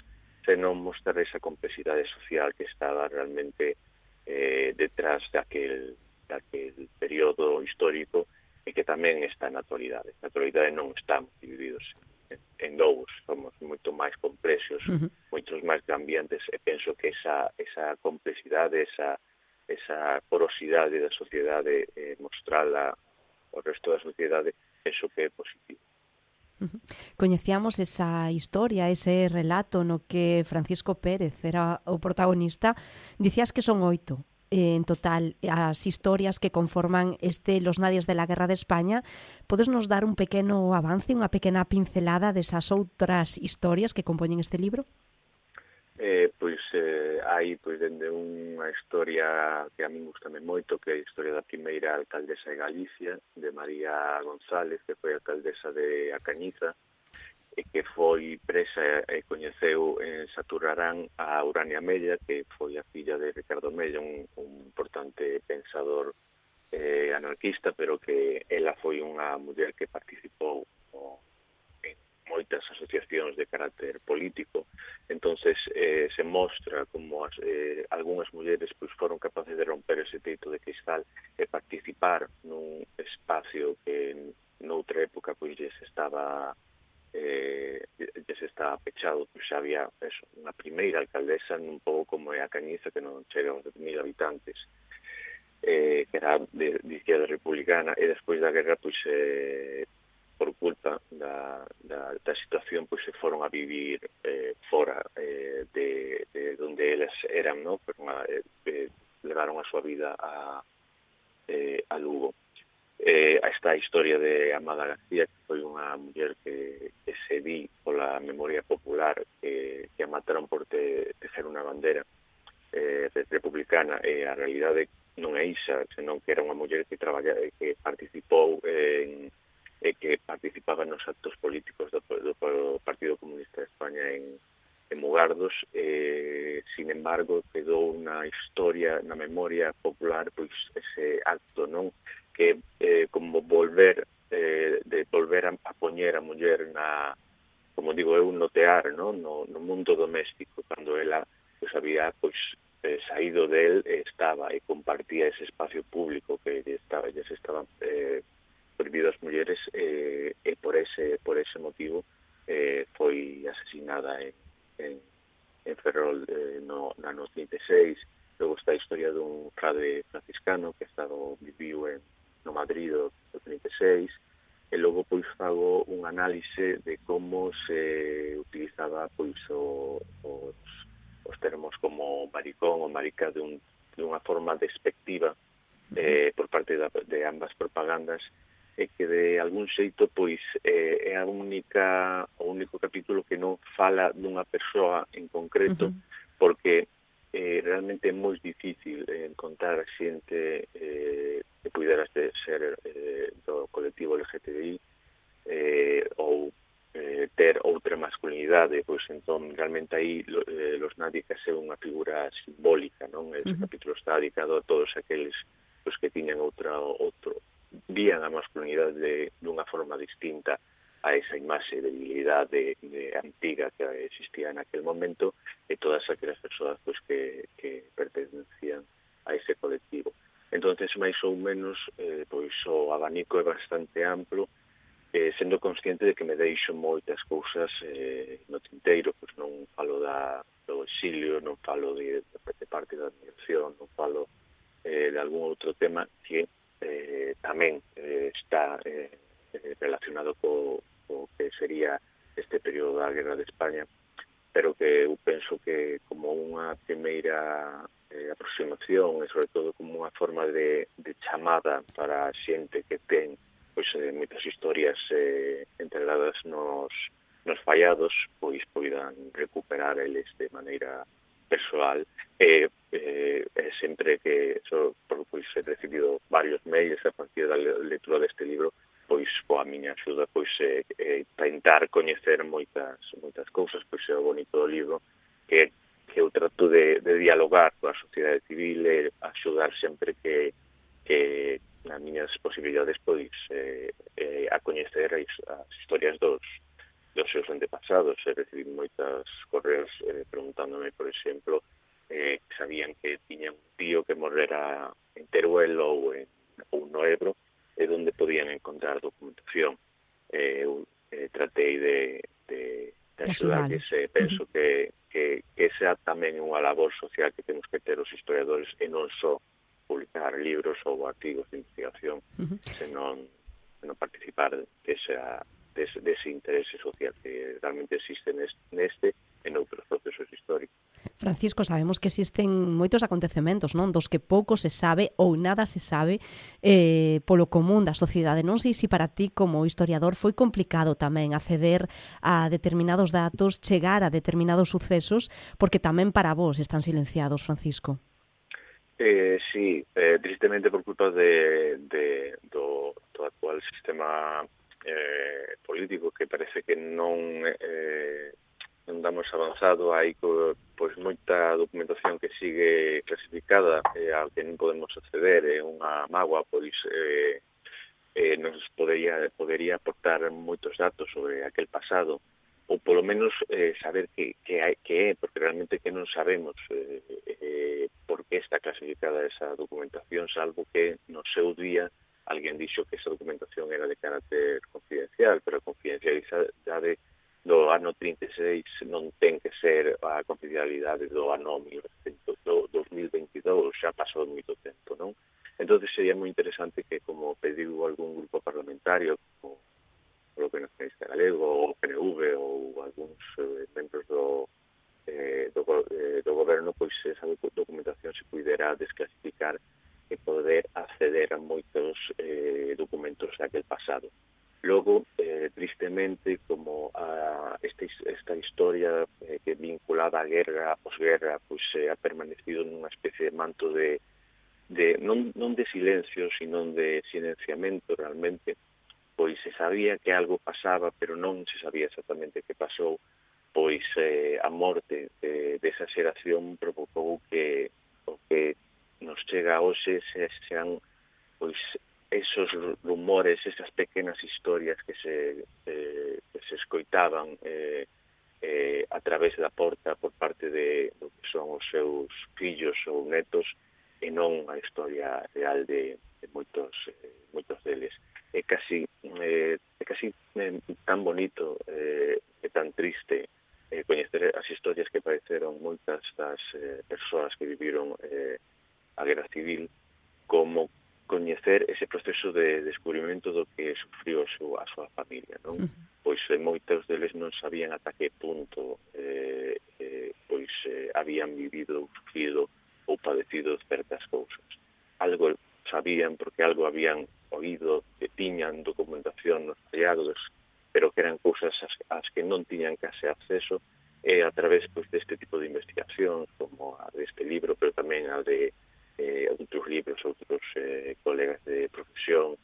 sen non mostrar esa complexidade social que estaba realmente eh, detrás daquel daquele período histórico e que tamén está na actualidade. Na actualidade non estamos divididos en, en dous, somos moito máis complexos, uh-huh. moitos máis cambiantes, e penso que esa, esa complexidade, esa, esa porosidade da sociedade, eh, mostrala ao resto da sociedade, penso que é positivo. Uh-huh. Coñecíamos esa historia, ese relato no que Francisco Pérez era o protagonista. Dicías que son oito en total as historias que conforman este Los Nadies de la Guerra de España. Podes nos dar un pequeno avance, unha pequena pincelada desas outras historias que compoñen este libro? Eh, pois eh, hai pois dende unha historia que a min gustame moito, que é a historia da primeira alcaldesa de Galicia, de María González, que foi alcaldesa de A Cañiza, e que foi presa e coñeceu en Saturrarán a Urania Mella, que foi a filla de Ricardo Mella, un, un importante pensador eh, anarquista, pero que ela foi unha muller que participou o, en moitas asociacións de carácter político. Entonces eh, se mostra como as, eh, algunhas mulleres pois, foron capaces de romper ese teito de cristal e participar nun espacio que noutra época pois, estaba eh, ya se estaba pechado, pois xa había eso, unha primeira alcaldesa un pouco como é a Cañiza, que non chega aos mil habitantes, eh, que era de, de izquierda republicana, e despois da guerra, pois, eh, por culpa da, da, da situación, pois se foron a vivir eh, fora eh, de, de donde eles eran, no? Pero, eh, eh, levaron a súa vida a, eh, a Lugo. Eh, esta historia de Amada García, que foi unha muller que, que se di pola memoria popular, que, que a mataron por te, tecer unha bandera eh, republicana, e a realidade non é isa, senón que era unha muller que traballa, que participou en, eh, que participaba nos actos políticos do, do, do Partido Comunista de España en, en Mugardos. Eh, sin embargo, quedou unha historia na memoria popular, pois ese acto, non? Que eh, como volver eh, de volver a, a poñer a muller na, como digo eu, no tear, no, no, no mundo doméstico, cando ela pues, había pois eh, saído del, eh, estaba e compartía ese espacio público que estaba, ya se estaban eh, prohibido as mulleres, eh, e por ese por ese motivo eh, foi asesinada en, en, en Ferrol eh, no, no ano trinta e seis. Logo está a historia dun frade franciscano que estado viviu en no Madrid do trinta e seis, e logo pois fago un análise de como se utilizaba pois o, os, os termos como maricón ou marica de, un, de unha forma despectiva eh, por parte da, de ambas propagandas, e que de algún xeito pois eh, é a única o único capítulo que non fala dunha persoa en concreto, uh-huh. porque eh, realmente é moi difícil eh, encontrar xente eh, que pudera ser eh, do colectivo L G T B I eh, ou eh, ter outra masculinidade, pois entón realmente aí lo, eh, Los Nádicas é unha figura simbólica, non? Ese uh-huh. capítulo está dedicado a todos aqueles pois, que tiñan outra outro vían a masculinidade de, dunha forma distinta a esa imaxe de debilidade de, de antiga que existía naquel momento, e todas aquelas persoas pois, que, que pertenecían a ese colectivo. Entonces, máis ou menos, eh, pois o abanico é bastante amplo, eh, sendo consciente de que me deixo moitas cousas eh, no tinteiro, pois non falo da, do exilio, non falo de, de parte da migración, non falo eh, de algún outro tema que eh, tamén eh, está eh, relacionado co, co que sería este período da Guerra de España, pero que eu penso que como unha primeira eh, aproximación e sobre todo como unha forma de, de chamada para a xente que ten pois, eh, moitas historias eh, entregadas nos, nos fallados, pois poidan recuperar eles de maneira persoal, e eh, eh, sempre que so, por, pois, he recibido varios mails a partir da lectura deste libro, pois coa miña axuda pois eh, eh, tentar coñecer moitas moitas cousas, pois é o bonito do libro que, que eu trato de, de dialogar coa sociedade civil e axudar sempre que, que nas miñas posibilidades pois eh, eh, a coñecer as, as historias dos dos seus antepasados. He recibido moitas correos eh, preguntándome, por exemplo, eh, que sabían que tiñan un tío que morrera en Teruel ou, en, ou no Ebro, e onde podían encontrar documentación. Eh, eu eh, tratei de, de, de axudar, que se, penso uh-huh. que, que, que esa tamén é unha labor social que temos que ter os historiadores, e non só publicar libros ou artigos de investigación, uh-huh. senón, senón participar desa Dese, dese interese social que realmente existe neste e noutros procesos históricos. Francisco, sabemos que existen moitos acontecementos, non, dos que pouco se sabe ou nada se sabe eh, polo común da sociedade. Non sei se para ti como historiador foi complicado tamén acceder a determinados datos, chegar a determinados sucesos, porque tamén para vos están silenciados, Francisco. Eh, sí, eh, tristemente por culpa de, de, do, do actual sistema Eh, político, que parece que non eh, non damos avanzado, hai co, pois moita documentación que sigue clasificada eh, ao que non podemos acceder, é eh, unha mágoa, pois eh, eh, nos podería, podería aportar moitos datos sobre aquel pasado, ou polo menos eh, saber que, que, hai, que é, porque realmente que non sabemos eh, eh, por que está clasificada esa documentación, salvo que no seu día alguén dixo que esa documentación era de carácter confidencial, pero a confidencialidade do ano trinta e seis non ten que ser a confidencialidade do ano dos mil veintidós, xa pasou moito tempo, non? Entón, sería moi interesante que, como pediu algún grupo parlamentario, como o Bloque Nacionalista Galego, ou o P N V, ou algúns eh, membros do, eh, do, eh, do goberno, pois esa documentación se pudera desclasificar e poder acceder a moitos eh, documentos daquel pasado. Logo, eh, tristemente, como a esta, esta historia eh, que vinculada á guerra, os guerra, pois eh, ha permanecido nunha especie de manto de, de non, non de silencio, sino de silenciamento realmente, pois se sabía que algo pasaba, pero non se sabía exactamente que pasou, pois eh, a morte de, desa xeración provocou que o que nos chega hoxe se, sean pois esos rumores, esas pequenas historias que se, eh, que se escoitaban eh, eh, a través da porta por parte de do que son os seus fillos ou netos e non a historia real de, de moitos, eh, moitos deles. É casi, eh, é casi eh, tan bonito eh, e tan triste eh, coñecer as historias que padeceron moitas das eh, persoas que viviron eh, a guerra civil, como coñecer ese proceso de descubrimento do que sufriu a súa, a súa familia, non? Uh-huh. Pois eh, moitos deles non sabían ata que punto eh, eh, pois eh, habían vivido, sufrido ou padecido certas cousas. Algo sabían porque algo habían oído, que tiñan documentación nos hallazgos, pero que eran cousas as, as que non tiñan case acceso, e a través pois, deste tipo de investigación, como a deste libro, pero tamén a de Eh, outros libros, outros eh, colegas de profesión,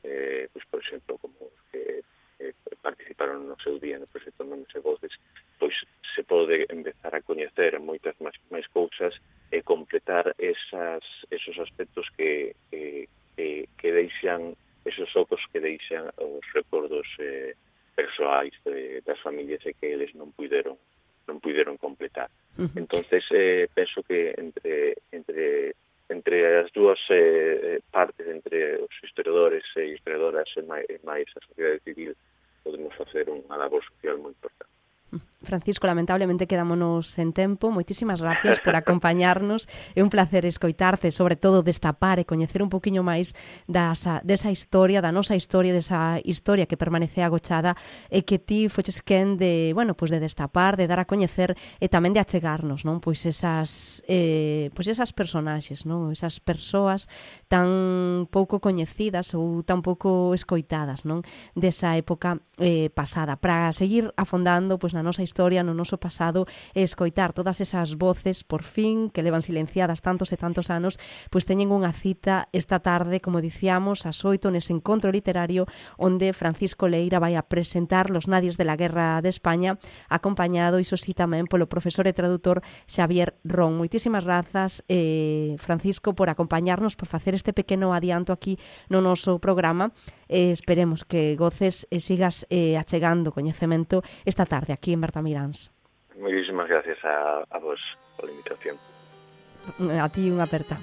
eh, pues, por exemplo, como os que eh, participaron no seu día no proxecto Nomes e Voces, pois se pode empezar a coñecer moitas máis, máis cousas e completar esas, esos aspectos que, que, que, que deixan, esos ocos que deixan os recordos eh, persoais de, das familias e que eles non puideron non puideron completar. Uh-huh. Entonces, eh, penso que entre entre entre as dúas eh, partes, entre os historiadores e historiadoras e máis, e máis a sociedade civil, podemos facer unha labor social moi importante. Francisco, lamentablemente quedámonos en tempo. Moitísimas gracias por acompañarnos. É un placer escoitarte, sobre todo destapar e coñecer un poquinho máis dasa, desa historia, da nosa historia, desa historia que permanece agochada e que ti foches quen de, bueno, pues de destapar, de dar a coñecer e tamén de achegarnos, non? Pois esas eh, pois esas personaxes, non? Esas persoas tan pouco coñecidas ou tan pouco escoitadas, non? Desa época eh, pasada, para seguir afondando pois na nosa historia, no noso pasado, e escoitar todas esas voces, por fin, que levan silenciadas tantos e tantos anos, pois teñen unha cita esta tarde, como dicíamos, ás oito, nese encontro literario, onde Francisco Leira vai a presentar Los Nadies de la Guerra de España, acompañado, iso sí, tamén polo profesor e traductor Xavier Ron. Moitísimas grazas, eh, Francisco, por acompañarnos, por facer este pequeno adianto aquí no noso programa. Eh, esperemos que goces e sigas eh, achegando coñecemento esta tarde aquí en Bertamiráns. Moitísimas gracias a, a vos pola invitación. A ti unha aperta.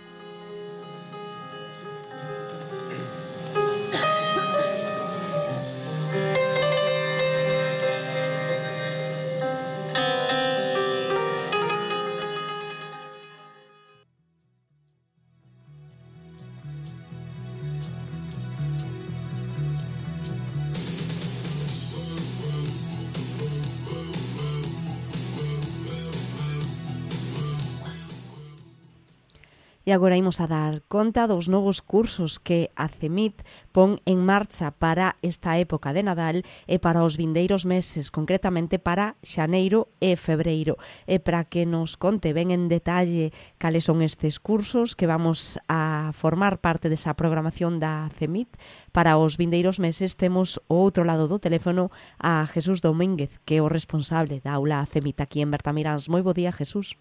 E agora imos a dar conta dos novos cursos que a CEMIT pon en marcha para esta época de Nadal e para os vindeiros meses, concretamente para xaneiro e febreiro. E para que nos conte ben en detalle cales son estes cursos que vamos a formar parte desa programación da CEMIT, para os vindeiros meses temos ao outro lado do teléfono a Jesús Domínguez, que é o responsable da aula CEMIT aquí en Bertamiráns. Moi bo día, Jesús.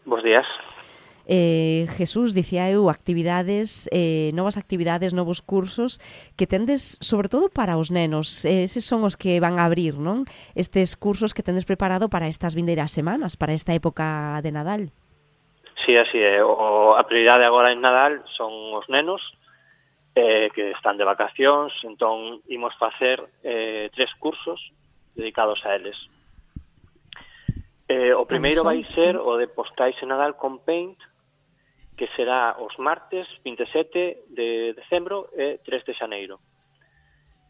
Bos días. Eh, Jesús, dicía eu, actividades, eh, novas actividades, novos cursos que tendes, sobre todo para os nenos. Eh, eses son os que van a abrir, non? Estes cursos que tendes preparado para estas vindeiras semanas, para esta época de Nadal. Sí, así é. O, a prioridade agora en Nadal son os nenos eh, que están de vacacións, entón imos facer eh, tres cursos dedicados a eles. Eh, o primeiro vai ser o de postais e Nadal con Paint, que será os martes vinte e sete de decembro e tres de xaneiro.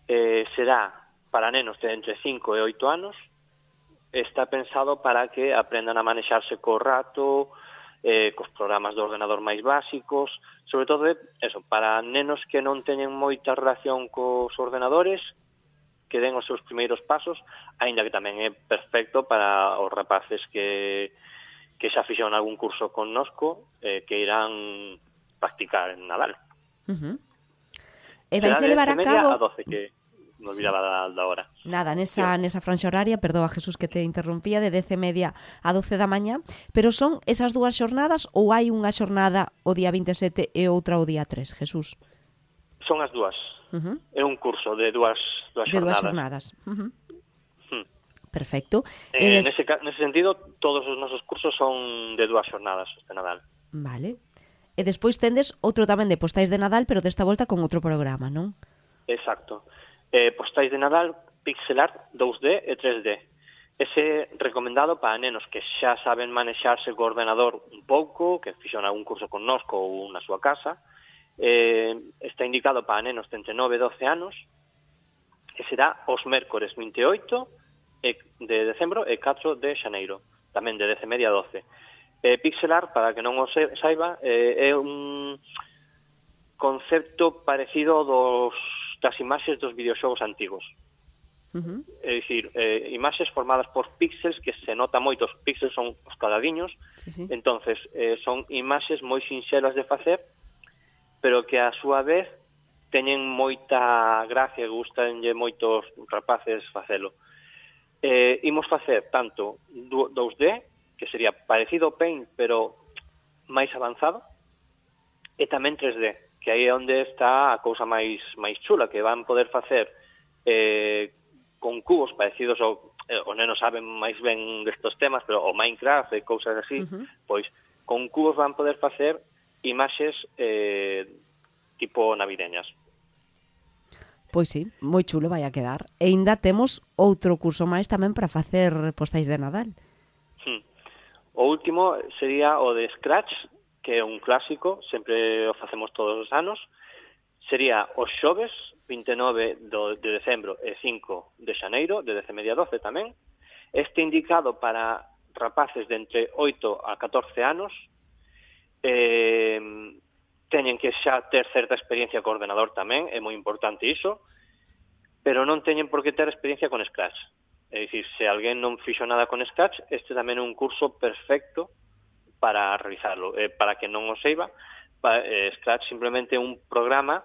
Eh, será para nenos de entre cinco e oito anos, está pensado para que aprendan a manexarse co rato, eh, cos programas do ordenador máis básicos, sobre todo eso, para nenos que non teñen moita relación cos ordenadores, que den os seus primeiros pasos, aínda que tamén é perfecto para os rapaces que, que xa fixeron algún curso connosco, eh, que irán practicar en Nadal. Uh-huh. E vais a levar a cabo... a doce, que me olvidaba da, da hora. Nada, nesa, sí. nesa franxa horaria, perdoa Jesús que te interrumpía, de dez e media a doce da mañá, pero son esas dúas xornadas ou hai unha xornada o día vinte e sete e outra o día tres, Jesús? Son as dúas. Uh-huh. É un curso de dúas, dúas de xornadas. dúas xornadas. Uh-huh. Hmm. Perfecto. Eh, des... nese, nese sentido, todos os nosos cursos son de dúas xornadas de Nadal. Vale. E despois tendes outro tamén de postais de Nadal, pero desta volta con outro programa, non? Exacto. Eh, postais de Nadal, pixel art dous D e tres D. Ese recomendado para nenos que xa saben manexarse co ordenador un pouco, que fixeron algún curso connosco ou na súa casa. Eh, está indicado para nenos de entre nove e doce anos, que será os mércores vinte e oito de decembro e catro de xaneiro, tamén de dez e media a doce. Eh, pixel art, para que non o saiba, eh, é un concepto parecido dos, das imaxes dos videoxogos antigos. Uh-huh. É dicir, eh, imaxes formadas por píxeles, que se nota moito, os píxeles son os cadadiños, sí, sí. entonces eh, son imaxes moi sinxelas de facer, pero que a súa vez teñen moita gracia e gustanlle moitos rapaces facelo. Eh, imos facer tanto dous D, que sería parecido ao Paint, pero máis avanzado, e tamén tres D, que aí é onde está a cousa máis máis chula, que van poder facer eh, con cubos parecidos ao, eh, os nenos saben máis ben destos temas, pero o Minecraft e cousas así, uh-huh. pois con cubos van poder facer imaxes eh, tipo navideñas. Pois sí, moi chulo vai a quedar. E ainda temos outro curso máis tamén para facer postais de Nadal. Hmm. O último sería o de Scratch, que é un clásico, sempre o facemos todos os anos. Sería os xoves, vinte e nove de decembro e cinco de xaneiro, de dez e media a doce tamén. Este indicado para rapaces de entre oito a catorce anos, eh, teñen que xa ter certa experiencia co ordenador tamén, é moi importante iso, pero non teñen por que ter experiencia con Scratch. É dicir, se alguén non fixo nada con Scratch, este tamén é un curso perfecto para realizarlo. Eh, para que non o seiba, pa, eh, Scratch simplemente é un programa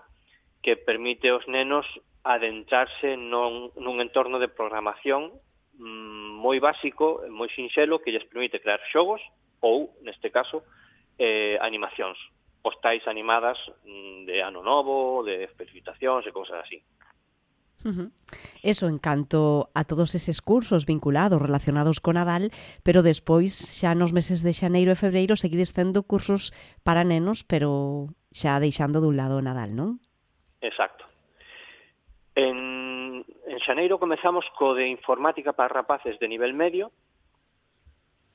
que permite aos nenos adentrarse non, nun entorno de programación mm, moi básico, moi sinxelo, que lles permite crear xogos ou, neste caso, eh, animacións, postais animadas mm, de ano novo, de felicitacións e cousas así. Uh-huh. Eso en canto a todos eses cursos vinculados, relacionados con Nadal, pero despois xa nos meses de xaneiro e febreiro seguides tendo cursos para nenos, pero xa deixando dun lado o Nadal, non? Exacto. En, en xaneiro comezamos co de informática para rapaces de nivel medio,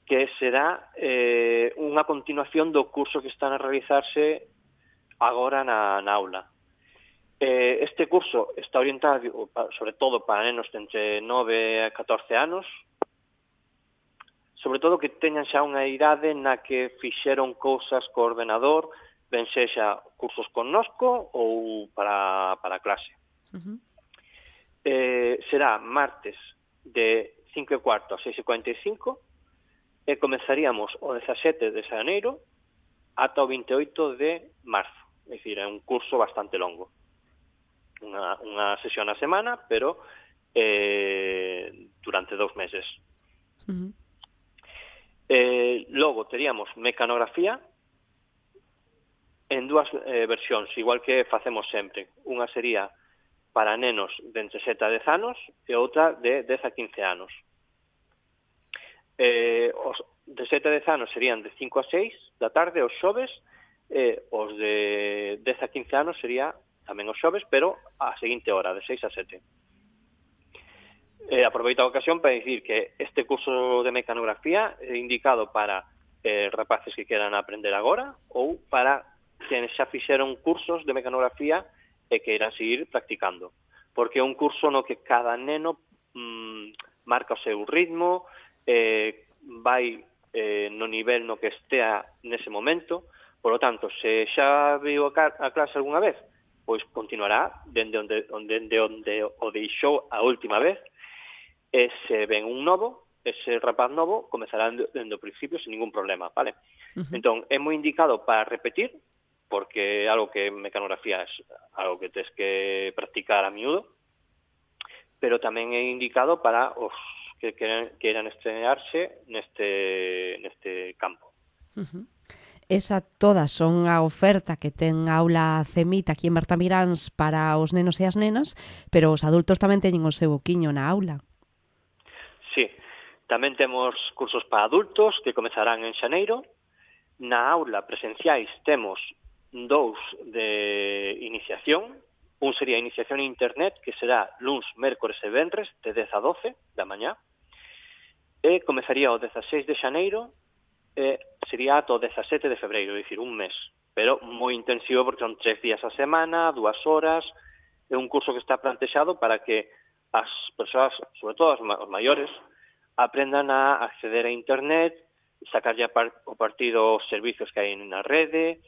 que será eh, unha continuación do curso que están a realizarse agora na, na aula. Eh, este curso está orientado sobre todo para nenos de entre nove a catorce anos, sobre todo que teñan xa unha idade na que fixeron cousas co ordenador, ben sexa cursos connosco ou para, para clase. Uh-huh. Eh, será martes de cinco e cuarto a seis e cuarenta e cinco e comezaríamos o dezasete de xaneiro ata o vinte e oito de marzo. É dicir, é un curso bastante longo. Unha, unha sesión a semana, pero eh, durante dous meses. Uh-huh. Eh, logo teríamos mecanografía en dúas eh, versións, igual que facemos sempre. Unha sería para nenos de entre sete a dez anos e outra de dez a quince anos. Eh, os de sete a dez anos serían de cinco a seis da tarde, os xoves, e os de dez a quince anos sería tamén os xoves, pero a seguinte hora, de seis a sete. Eh, aproveito a ocasión para dicir que este curso de mecanografía é indicado para eh, rapaces que queran aprender agora ou para quienes xa fixeron cursos de mecanografía e que irán seguir practicando. Porque é un curso no que cada neno mmm, marca o seu ritmo, eh, vai eh, no nivel no que estea nese momento. Por lo tanto, se xa viu a, a clase algunha vez, pois continuará dende onde, onde, onde o deixou a última vez. E se ven un novo, ese rapaz novo comezará dende o principio sin ningún problema, vale? Uh-huh. Entón, é moi indicado para repetir, porque é algo que mecanografía é algo que tes que practicar a miúdo, pero tamén é indicado para os que queran, queran estrenarse neste, neste campo. Uh-huh. Esa todas son a oferta que ten aula CEMIT aquí en Bertamiráns para os nenos e as nenas, pero os adultos tamén teñen o seu oquiño na aula. Sí, tamén temos cursos para adultos que comezarán en xaneiro. Na aula presenciais temos dous de iniciación. Un sería iniciación en internet, que será luns, mércores e venres, de dez a doce da mañá. E comezaría o dezaseis de xaneiro e sería ata o dezasete de febreiro, é dicir, un mes. Pero moi intensivo porque son tres días a semana, dúas horas. É un curso que está plantexado para que as persoas, sobre todo os maiores, aprendan a acceder a internet, sacarlle o partido aos servicios que hai na rede,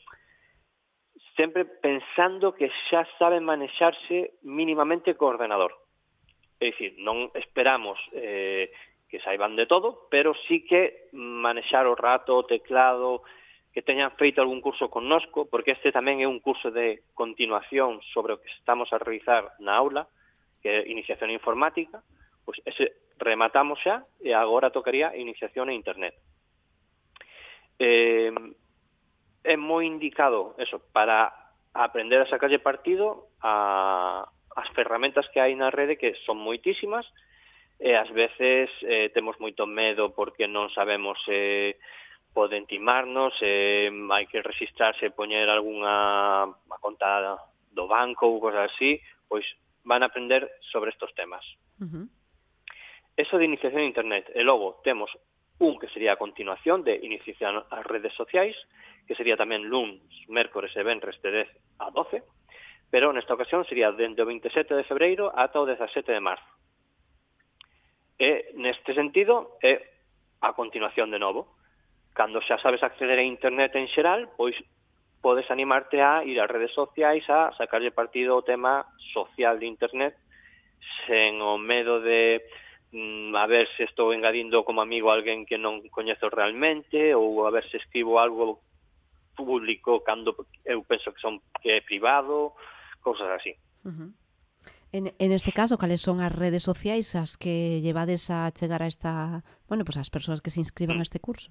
sempre pensando que xa saben manexarse mínimamente co ordenador. É dicir, non esperamos eh, que saiban de todo, pero sí que manexar o rato, o teclado, que teñan feito algún curso connosco, porque este tamén é un curso de continuación sobre o que estamos a realizar na aula, que é iniciación informática, pois ese rematamos xa e agora tocaría iniciación en internet. Eh, é moi indicado eso, para aprender a sacarlle partido a as ferramentas que hai na rede, que son moitísimas, e ás veces eh, temos moito medo porque non sabemos se eh, poden timarnos, se eh, hai que registrarse e poñer algunha conta do banco ou cosas así, pois van a aprender sobre estos temas. Uh-huh. Eso de iniciación a internet. E logo temos un que sería a continuación de iniciación ás redes sociais, que sería tamén luns, mércores e venres de dez a doce, pero nesta ocasión sería dende o veintisiete de febreiro ata o dezasete de marzo. E neste sentido é a continuación de novo. Cando xa sabes acceder a internet en xeral, pois podes animarte a ir ás redes sociais a sacarlle partido ao tema social de internet sen o medo de mm, a ver se estou engadindo como amigo a alguén que non coñezo realmente ou a ver se escribo algo público cando eu penso que son que é privado, cousas así. Uh-huh. En, en este caso, cales son as redes sociais as que llevades a chegar a esta, bueno, pues as persoas que se inscriban a este curso?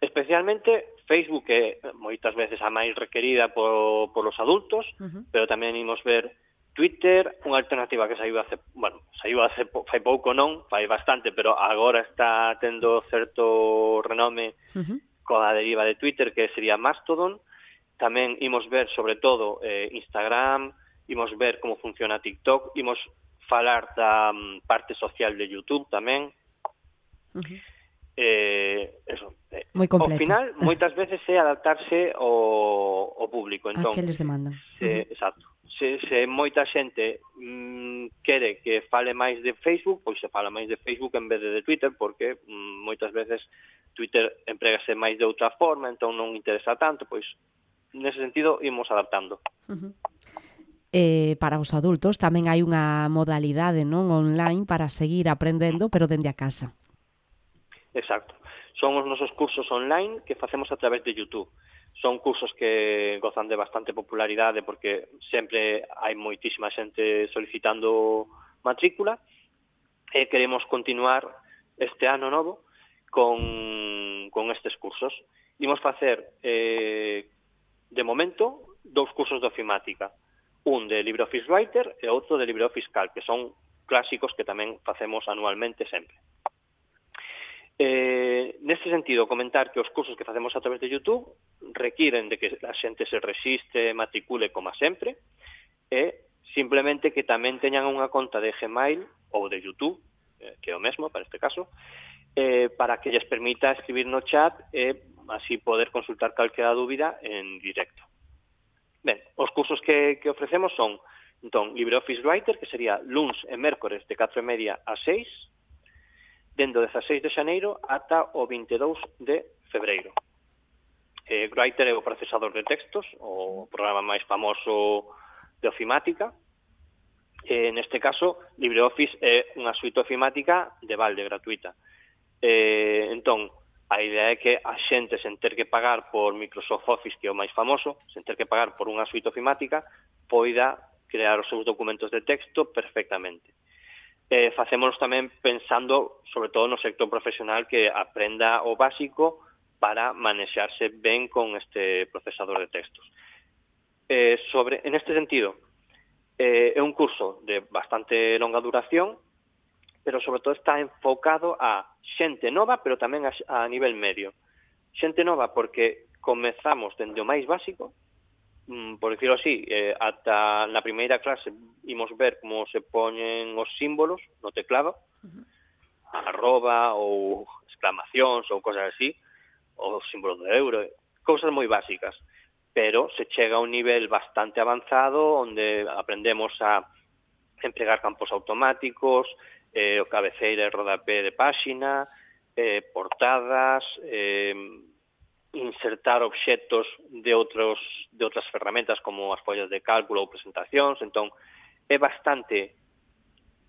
Especialmente Facebook, que moitas veces a máis requerida por, por los adultos, uh-huh. pero tamén imos ver Twitter, unha alternativa que saiu hace, bueno, saiu hace fai pouco non, fai bastante, pero agora está tendo certo renome uh-huh. coa deriva de Twitter, que sería Mastodon. Tamén imos ver, sobre todo, eh, Instagram, imos ver como funciona TikTok, imos falar da um, parte social de YouTube tamén. Uh-huh. Eh, eso. Moi completo. Ao final, moitas veces é adaptarse ao, ao público. Entón, a que les demandan. Se, uh-huh. Exacto. Se, se moita xente mm, quere que fale máis de Facebook, pois se fala máis de Facebook en vez de de Twitter, porque mm, moitas veces Twitter emprégase máis de outra forma, entón non interesa tanto, pois nese sentido imos adaptando. Uh-huh. Eh, para os adultos tamén hai unha modalidade non online para seguir aprendendo, pero dende a casa. Exacto. Son os nosos cursos online que facemos a través de YouTube. Son cursos que gozan de bastante popularidade porque sempre hai moitísima xente solicitando matrícula e queremos continuar este ano novo con, con estes cursos. Imos facer, eh, de momento, dous cursos de ofimática. Un de LibreOffice Writer e outro de LibreOffice Calc, que son clásicos que tamén facemos anualmente sempre. Eh, neste sentido, comentar que os cursos que facemos a través de YouTube requiren de que a xente se resiste, matricule como sempre, e simplemente que tamén teñan unha conta de Gmail ou de YouTube, eh, que é o mesmo para este caso, eh, para que lles permita escribir no chat e así poder consultar calquera dúbida en directo. Ben, os cursos que, que ofrecemos son, entón, LibreOffice Writer, que sería luns e mércores de catro e media a seis, dende o dezaseis de xaneiro ata o vinte e dous de febreiro. Eh, Writer é o procesador de textos, o programa máis famoso de ofimática. Eh, neste caso, LibreOffice é unha suite ofimática de balde, gratuita. Eh, entón, a idea é que a xente, sen ter que pagar por Microsoft Office, que é o máis famoso, sen ter que pagar por unha suite ofimática, poida crear os seus documentos de texto perfectamente. Eh, facémonos tamén pensando, sobre todo no sector profesional, que aprenda o básico para manexarse ben con este procesador de textos. Eh, sobre, en este sentido, eh, é un curso de bastante longa duración, pero sobre todo está enfocado a xente nova, pero tamén a, a nivel medio. Xente nova porque comezamos dende o máis básico, mm, por dicirlo así, eh, ata na primeira clase imos ver como se poñen os símbolos no teclado, uh-huh. arroba ou exclamacións ou cosas así, ou símbolos de euro, cousas moi básicas. Pero se chega a un nivel bastante avanzado onde aprendemos a empregar campos automáticos, eh, o cabeceira e rodapé de páxina, eh, portadas, eh, insertar obxectos de outros de outras ferramentas como as follas de cálculo ou presentacións. Entón, é bastante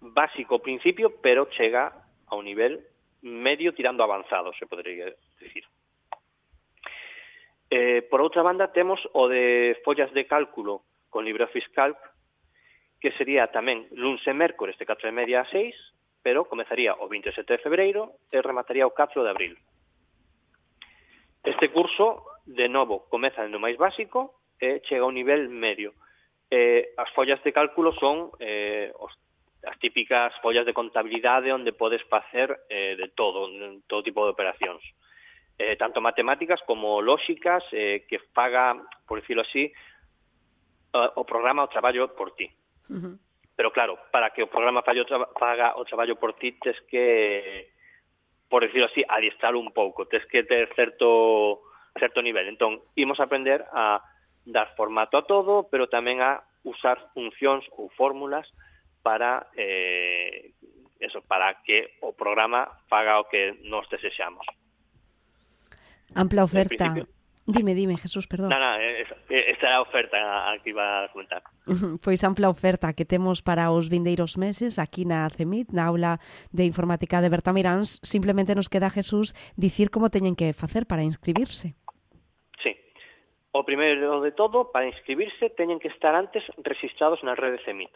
básico ao principio, pero chega a un nivel medio tirando avanzado, se podría decir. Eh, por outra banda, temos o de follas de cálculo con LibreOffice Calc, que sería tamén luns e mércores de catro e media a seis, pero comezaría o vinte e sete de febreiro e remataría o catro de abril. Este curso, de novo, comeza no máis básico e chega a un nivel medio. Eh, as follas de cálculo son eh, os, as típicas follas de contabilidade onde podes facer eh, de todo, todo tipo de operacións. Eh, tanto matemáticas como lóxicas, eh, que faga, por decirlo así, uh, o programa o traballo por ti. Uh-huh. Pero claro, para que o programa faga o, tra faga o traballo por ti, tes que, por decirlo así, adiestrar un pouco, tes que ter certo, certo nivel. Entón, imos aprender a dar formato a todo, pero tamén a usar funcións ou fórmulas para, eh, eso, para que o programa faga o que nos desexamos. Ampla oferta. Dime, dime, Jesús, perdón. Non, non, esta era a oferta a que iba a comentar. Pois ampla oferta que temos para os vindeiros meses aquí na CEMIT, na aula de informática de Berta Miráns. Simplemente nos queda, Jesús, dicir como teñen que facer para inscribirse. Sí. O primeiro de todo, para inscribirse, teñen que estar antes registrados na rede CEMIT.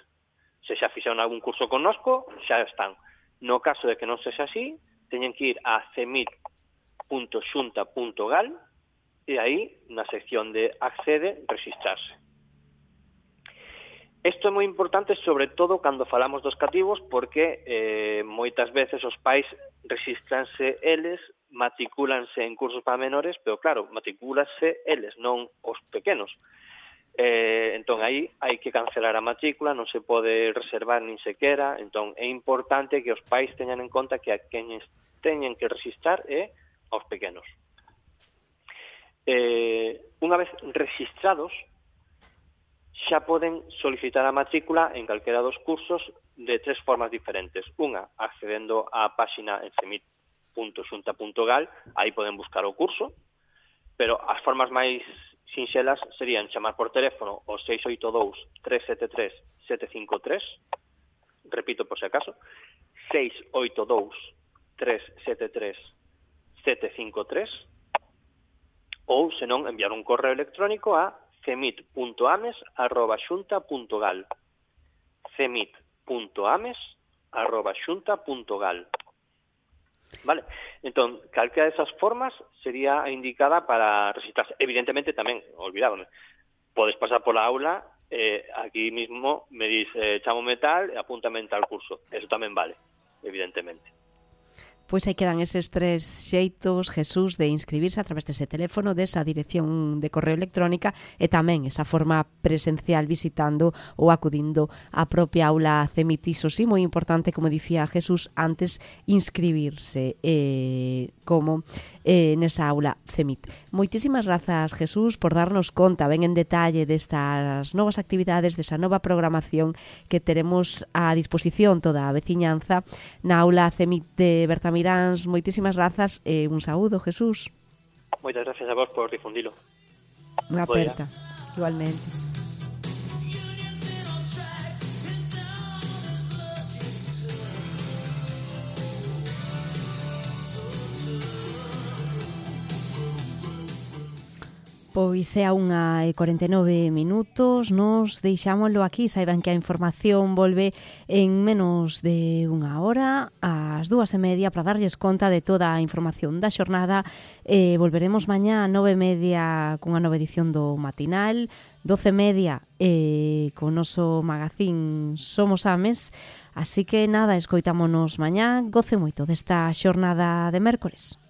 Se xa fixeron algún curso connosco, xa están. No caso de que non sexa así, teñen que ir a cemit punto xunta punto gal e aí, na sección de accede, registrarse. Isto é moi importante, sobre todo, cando falamos dos cativos, porque eh, moitas veces os pais registranse eles, matricúlanse en cursos para menores, pero claro, matricúlanse eles, non os pequenos. Eh, entón, aí hai que cancelar a matrícula, non se pode reservar nin sequera, entón é importante que os pais teñan en conta que a quenes teñen que registrar é aos pequenos. Eh, unha vez registrados, xa poden solicitar a matrícula en calquera dos cursos de tres formas diferentes. Unha, accedendo á páxina en cemit punto xunta punto gal, aí poden buscar o curso, pero as formas máis sinxelas serían chamar por teléfono o seis oito dous, tres sete tres, sete cinco tres, repito por se acaso, seis oito dous, tres sete tres, sete cinco tres, ou, senón, enviar un correo electrónico a cemit punto ames arroba xunta punto gal. cemit punto ames arroba xunta punto gal. Vale, entón, calquera desas formas sería a indicada para registrarse. Evidentemente tamén, olvidábame, podes pasar pola aula, eh, aquí mismo me dis, eh, chamo metal e apúntame en tal curso. Eso tamén vale, evidentemente. Pois aí quedan eses tres xeitos, Jesús, de inscribirse a través dese teléfono, desa dirección de correo electrónica e tamén esa forma presencial visitando ou acudindo á propia aula CEMIT. Iso sí, moi importante, como dicía Jesús antes, inscribirse eh, como eh, nesa aula CEMIT. Moitísimas grazas, Jesús, por darnos conta ben en detalle destas novas actividades, desa nova programación que teremos a disposición toda a veciñanza na aula CEMIT de Bertamiráns. Moitísimas grazas e un saúdo, Jesús. Moitas gracias a vos por difundilo. Unha aperta, igualmente. Pois é a unha e cuarenta e nove minutos, nos deixámoslo aquí, saiban que a información volve en menos de unha hora, ás dúas e media, para darlles conta de toda a información da xornada. Eh, volveremos mañá a nove e media cunha nova edición do matinal, doce e media eh, con o noso magazín Somos Ames, así que nada, escoitámonos mañá, goce moito desta xornada de mércores.